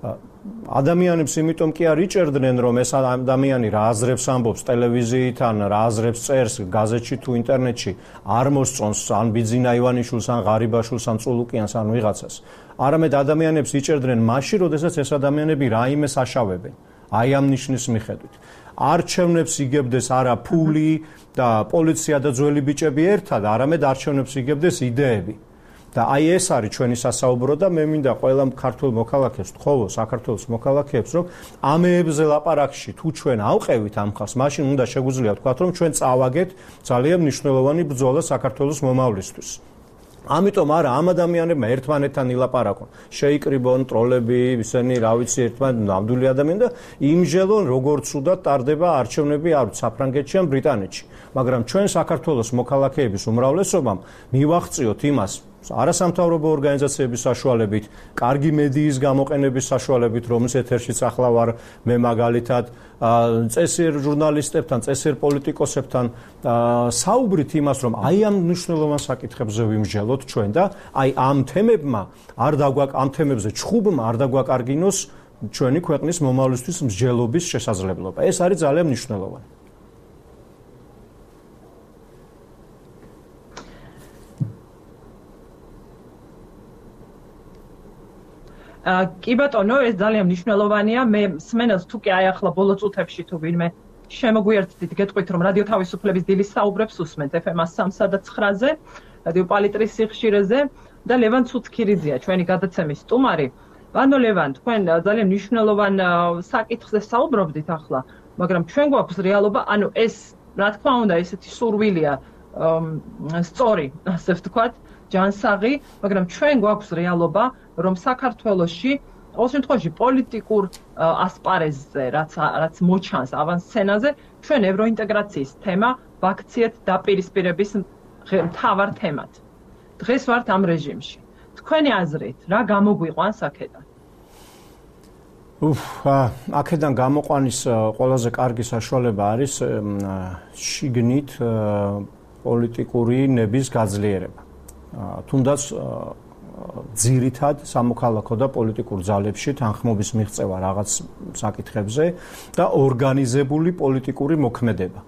ადამიანებს იმიტომ კი არ იჭერდნენ რომ ეს ადამიანი რა აზრებს ამბობს ტელევიზიით ან რა აზრებს წერს გაზეთში თუ ინტერნეტში არ მოსწონს ან ბიძინა ივანიშვილს ან ღარიბაშვილს ან წულუკიანს ან ვიღაცას არამედ ადამიანებს იჭერდნენ მაშინ როდესაც ეს ადამიანები რაიმეს აშავებენ აი ამ ნიშნის მიხედვით არჩევნებს იგებდეს არა ფული და პოლიცია და ძველი ბიჭები ერთად არამედ არჩევნებს იგებდეს იდეები და აი ეს არის ჩვენი სასაუბრო და მე მინდა ყველა ქართულ მოქალაქეს ვთხოვო, საქართველოს მოქალაქეებს, რომ ამეებზე ლაპარაკში თუ ჩვენ ავყევით ამ ხალხს, მაშინ უნდა შეგვიძლია ვთქვათ, რომ ჩვენ წავაგეთ ძალიან მნიშვნელოვანი ბრძოლა საქართველოს მომავლისთვის. ამიტომ არა ამ ადამიანებმა ერთმანეთთან ილაპარაკონ, შეიკრიბონ ტროლები, ისინი რა ვიცი ერთმანეთთან ნამდვილი ადამიანი და იმჟელონ როგორც უდად ტარდება არჩევნები არ საფრანგეთში ან ბრიტანეთში. მაგრამ ჩვენ საქართველოს მოქალაქეების უმრავლესობამ მივაღწიოთ იმას არასამთავრობო ორგანიზაციების საშუალებით, კარგი მედიის გამოყენების საშუალებით, რომლის ეთერშიც ახლა ვარ მე მაგალითად, წესიერ ჟურნალისტებთან, წესიერ პოლიტიკოსებთან საუბრით იმას, რომ აი ამ მნიშვნელოვან საკითხებზე ვიმსჯელოთ ჩვენ და აი ამ თემებზე ჩხუბმა არ დაგვაკარგინოს ჩვენი ქვეყნის მომავლისთვის მსჯელობის შესაძლებლობა. ეს არის ძალიან მნიშვნელოვანი. კი ბატონო, ეს ძალიან მნიშვნელოვანია. მე სმენელს თუ კი აი ახლა ბოლო წუთებში თუ ვინმე შემოგვიერთდით, გეტყვით რომ რადიო თავისუფლების დილის საუბრებს უსმენთ FM 103 და 9-ზე, რადიო პალიტრის სიხშირეზე და ლევან ცუცქირიძეა ჩვენი გადაცემის სტუმარი. ბანო ლევან, თქვენ ძალიან მნიშვნელოვან საკითხზე საუბრობდით ახლა, მაგრამ ჩვენ გვაქვს რეალობა, ანუ ეს რა თქმა უნდა ესეთი სურვილია სწორი, ასე ვთქვათ, ჯანსაღი, მაგრამ ჩვენ გვაქვს რეალობა, რომ საქართველოში ყოველ შემთხვევაში პოლიტიკურ ასპარეზზე, რაც მოჩანს ავანსცენაზე, ჩვენ ევროინტეგრაციის თემა ვაქციეთ დაპირისპირების მთავარ თემად. დღეს ვართ ამ რეჟიმში. თქვენი აზრით, რა გამოგვიყვანს აქედან? აქედან გამოყვანის ყველაზე კარგი საშუალება არის შიგნით პოლიტიკური ნების გაძლიერება. თუნდაც ძირითად სამოქალაქო და პოლიტიკურ ძალებში თანხმობის მიღწევა რაღაც საკითხებზე და ორგანიზებული პოლიტიკური მოქმედება.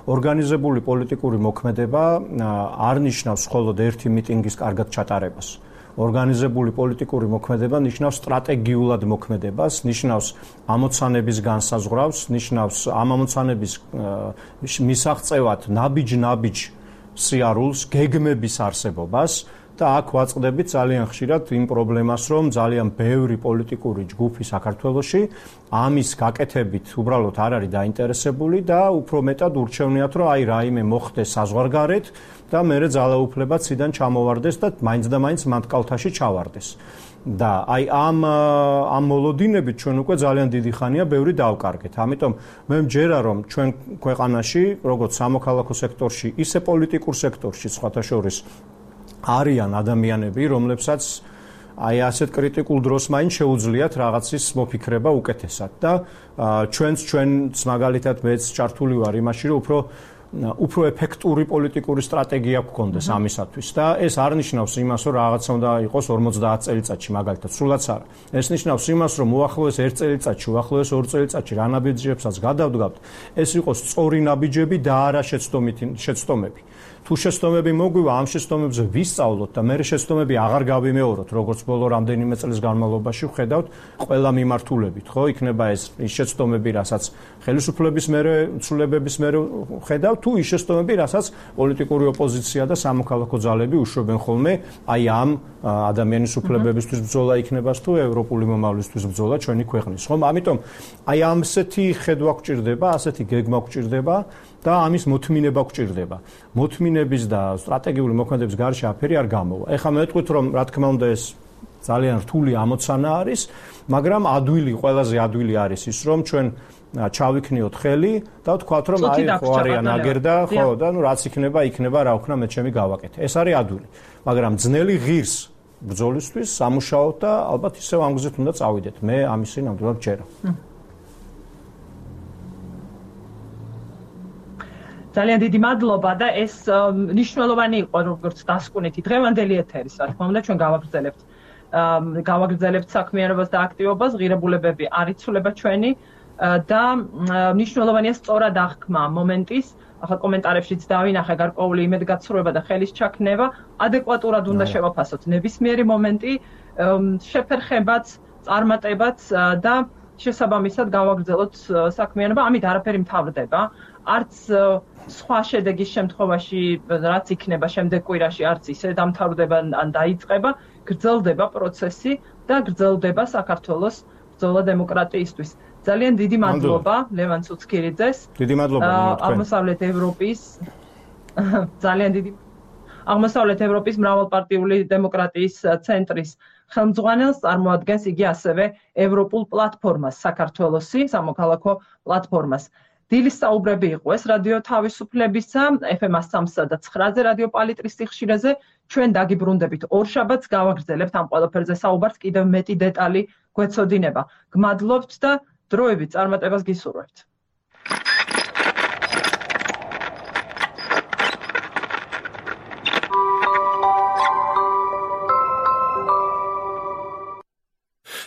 ორგანიზებული პოლიტიკური მოქმედება არ ნიშნავს მხოლოდ ერთი მიტინგის კარგად ჩატარებას. ორგანიზებული პოლიტიკური მოქმედება ნიშნავს სტრატეგიულად მოქმედებას, ნიშნავს ამოცანების განსაზღვრავს, ნიშნავს ამ ამოცანების მისაღწევად ნაბიჯ სიარულს, გეგმების არსებობას და აქ ვაწყდებით ძალიან ხშირად იმ პრობლემას, რომ ძალიან ბევრი პოლიტიკური ჯგუფი საქართველოში ამის გაკეთებით უბრალოდ არ არის დაინტერესებული და უფრო მეტად ურჩევნიათ, რომ აი რაიმე მოხდეს საზღვარგარეთ და მერე ძალაუფლება ციდან ჩამოვარდეს და მაინც და მაინც მანტკალთაში ჩავარდეს. და აი ამ მოლოდინებით ჩვენ უკვე ძალიან დიდი ხანია ბევრი დავკარგეთ. ამიტომ მე მჯერა რომ ჩვენ ქვეყანაში, როგორც სამოქალაქო სექტორში, ისე პოლიტიკურ სექტორში სხვათა შორის არიან ადამიანები, რომლებსაც აი ასეთ კრიტიკულ დროს მაინც შეუძლიათ რაღაცის მოფიქრება უკეთესად და ჩვენც მაგალითად მეც ჩართული ვარ იმაში, რომ უფრო ეფექტური პოლიტიკური სტრატეგია გქონდეს ამისათვის და ეს არ ნიშნავს იმას, რომ რაღაცა უნდა იყოს 50 წელიწადში მაგალითად, სულაც არა. ეს ნიშნავს იმას, რომ უახლოეს 1 წელიწადში, უახლოეს 2 წელიწადში რა ნაბიჯებსაც გადავდგავთ, ეს იყოს სწორი ნაბიჯები და არა შეცდომები. თუ შეცდომები მოგვივა, ამ შეცდომებზე ვისწავლოთ და მე შეცდომები აღარ გავიმეოროთ, როგორც ბოლო რამდენიმე წლის განმავლობაში ვხედავთ ყველა მიმართულებით, ხო? იქნება ეს შეცდომები, რასაც ხელისუფლების მერე ცვლილებების მერე ვხედავთ, თუ ის შეცდომები, რასაც პოლიტიკური ოპოზიცია და სამოქალაქო ძალები უშვებენ ხოლმე, აი ამ ადამიანის უფლებებისთვის ბრძოლა იქნება თუ ევროპული მომავლისთვის ბრძოლა ჩვენი ქვეყნის, ხომ? ამიტომ აი ამსეთი ხედვა გვჭირდება, ასეთი გეგმა გვჭირდება და ამის მოთმინება გვჭირდება. მოთმინების და სტრატეგიული მოქმედების გარშე აფერი არ გამოვა. ეხლა მე ვიტყვით, რომ რა თქმა უნდა ეს ძალიან რთული ამოცანა არის, მაგრამ ყველაზე ადვილი არის ის, რომ ჩვენ ჩავიქნიოთ ხელი და ვთქვათ, რომ აი ხო არიან აგერდა, ხო და ნუ რაც იქნება, რა ვქნა მე ჩემი გავაკეთე. ეს არის ადვილი. მაგრამ ძნელი ღირს ბრძოლისთვის სამუშაოთ და ალბათ ისევ ამ გზით უნდა წავიდეთ. მე ამისი ნამდვილად ჯერა. ძალიან დიდი მადლობა და ეს მნიშვნელოვანი იყო როგორც დასკვნითი დღევანდელი ეთერის, რა თქმა უნდა ჩვენ გავაგრძელებთ საქმიანობას და აქტივობას, ღირებულებები არ იცვლება ჩვენი და მნიშვნელოვანია სწორად აღქმა მომენტის, ახლა კომენტარებშიც დავინახე გარკვეული იმედგაცრუება და ხელის ჩაქნევა, ადეკვატურად უნდა შევაფასოთ ნებისმიერი მომენტი, შეფერხებაც, წარმატებაც და შესაბამისად გავაგრძელოთ საქმიანობა, ამით არაფერი მთავრდება. არც სხვა შედეგის შემთხვევაში რაც იქნება შემდეგ კვირაში არც ისე დამთავრდება ან დაიწყება, გრძელდება პროცესი და გრძელდება საქართველოს ბრძოლა დემოკრატიისთვის. ძალიან დიდი მადლობა ლევან ცუცქირიძეს. დიდი მადლობა აღმოსავლეთ ევროპის ძალიან დიდი აღმოსავლეთ ევროპის მრავალპარტიული დემოკრატიის ცენტრის ხელმძღვანელს წარმოადგენს იგი ასევე ევროპულ პლატფორმას საქართველოსი სამოქალაქო პლატფორმას. დილის საუბრები იყო ეს რადიო თავისუფლებისა FM 103 და 9-ზე რადიო პალიტრის სიხშირეზე. ჩვენ დაგიბრუნდებით ორშაბათს გავაგრძელებთ ამ ყველაფერზე საუბარს, კიდევ მეტი დეტალი გვეცოდინება. გმადლობთ და დროებით წარმატებას გისურვებთ.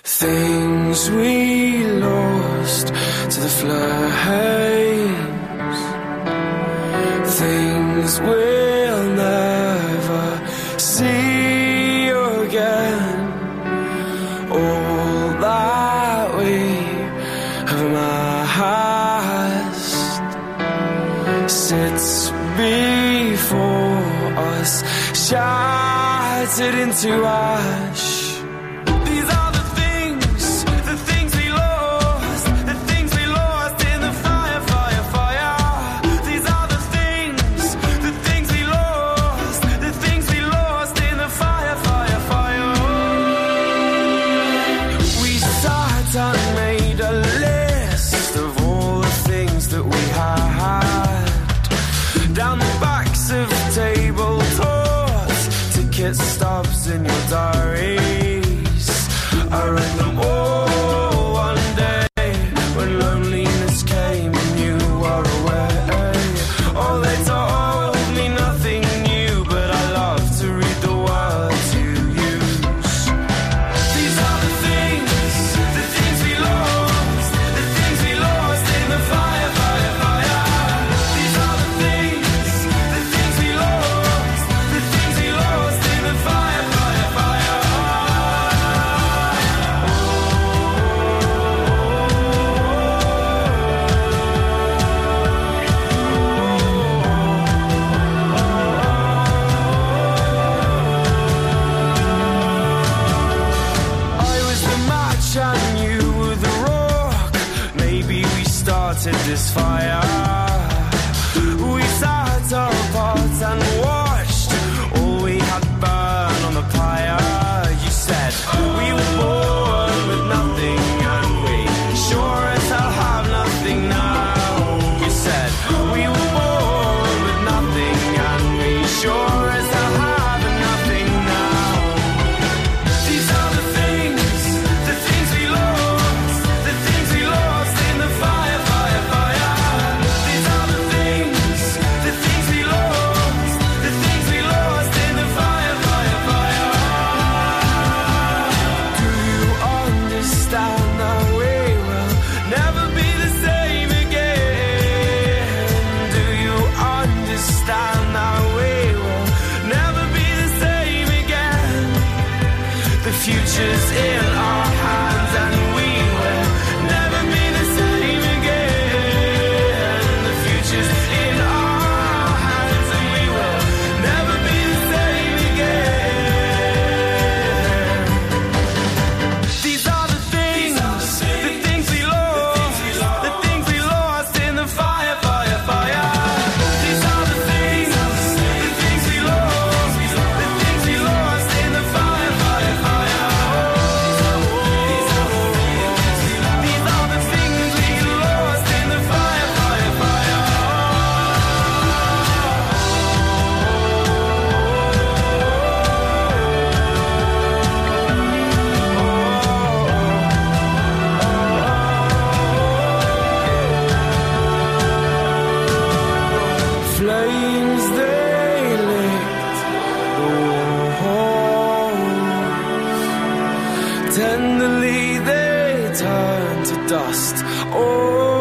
Things we lost to the flames, things we'll never see again. All that we have amassed sits before us, shattered into ash. Stops in your diaries. I read them all one day when loneliness came and you were away. Oh, they told me nothing new, but I love to read the words you use. These are the things we lost, the things we lost in the fire, fire, fire. These are the things we lost, the things we lost in the fire, fire, fire. I was the match and you were the rock. Maybe we started this fire. We sat apart and watched all we had burn on the pyre. You said we were born with nothing and we sure as hell have nothing now. You said we were born with nothing and we sure as hell have nothing now. These are the things we lost, the things we lost in the fire, fire, fire. These are the things we lost, the things we lost in the fire, fire, fire. Do you understand that we will never be the same again? Do you understand that we will never be the same again? The future's in our hands and we will never be the same again. The future's in our hands and we will never be the same again. These are the things we lost, the things we lost in the fire, fire, fire. These are the things we lost, the things we lost in the fire, fire, fire. These are the things we lost in the fire, fire, fire. Flames they lit the walls, tenderly they turned to dust. Oh,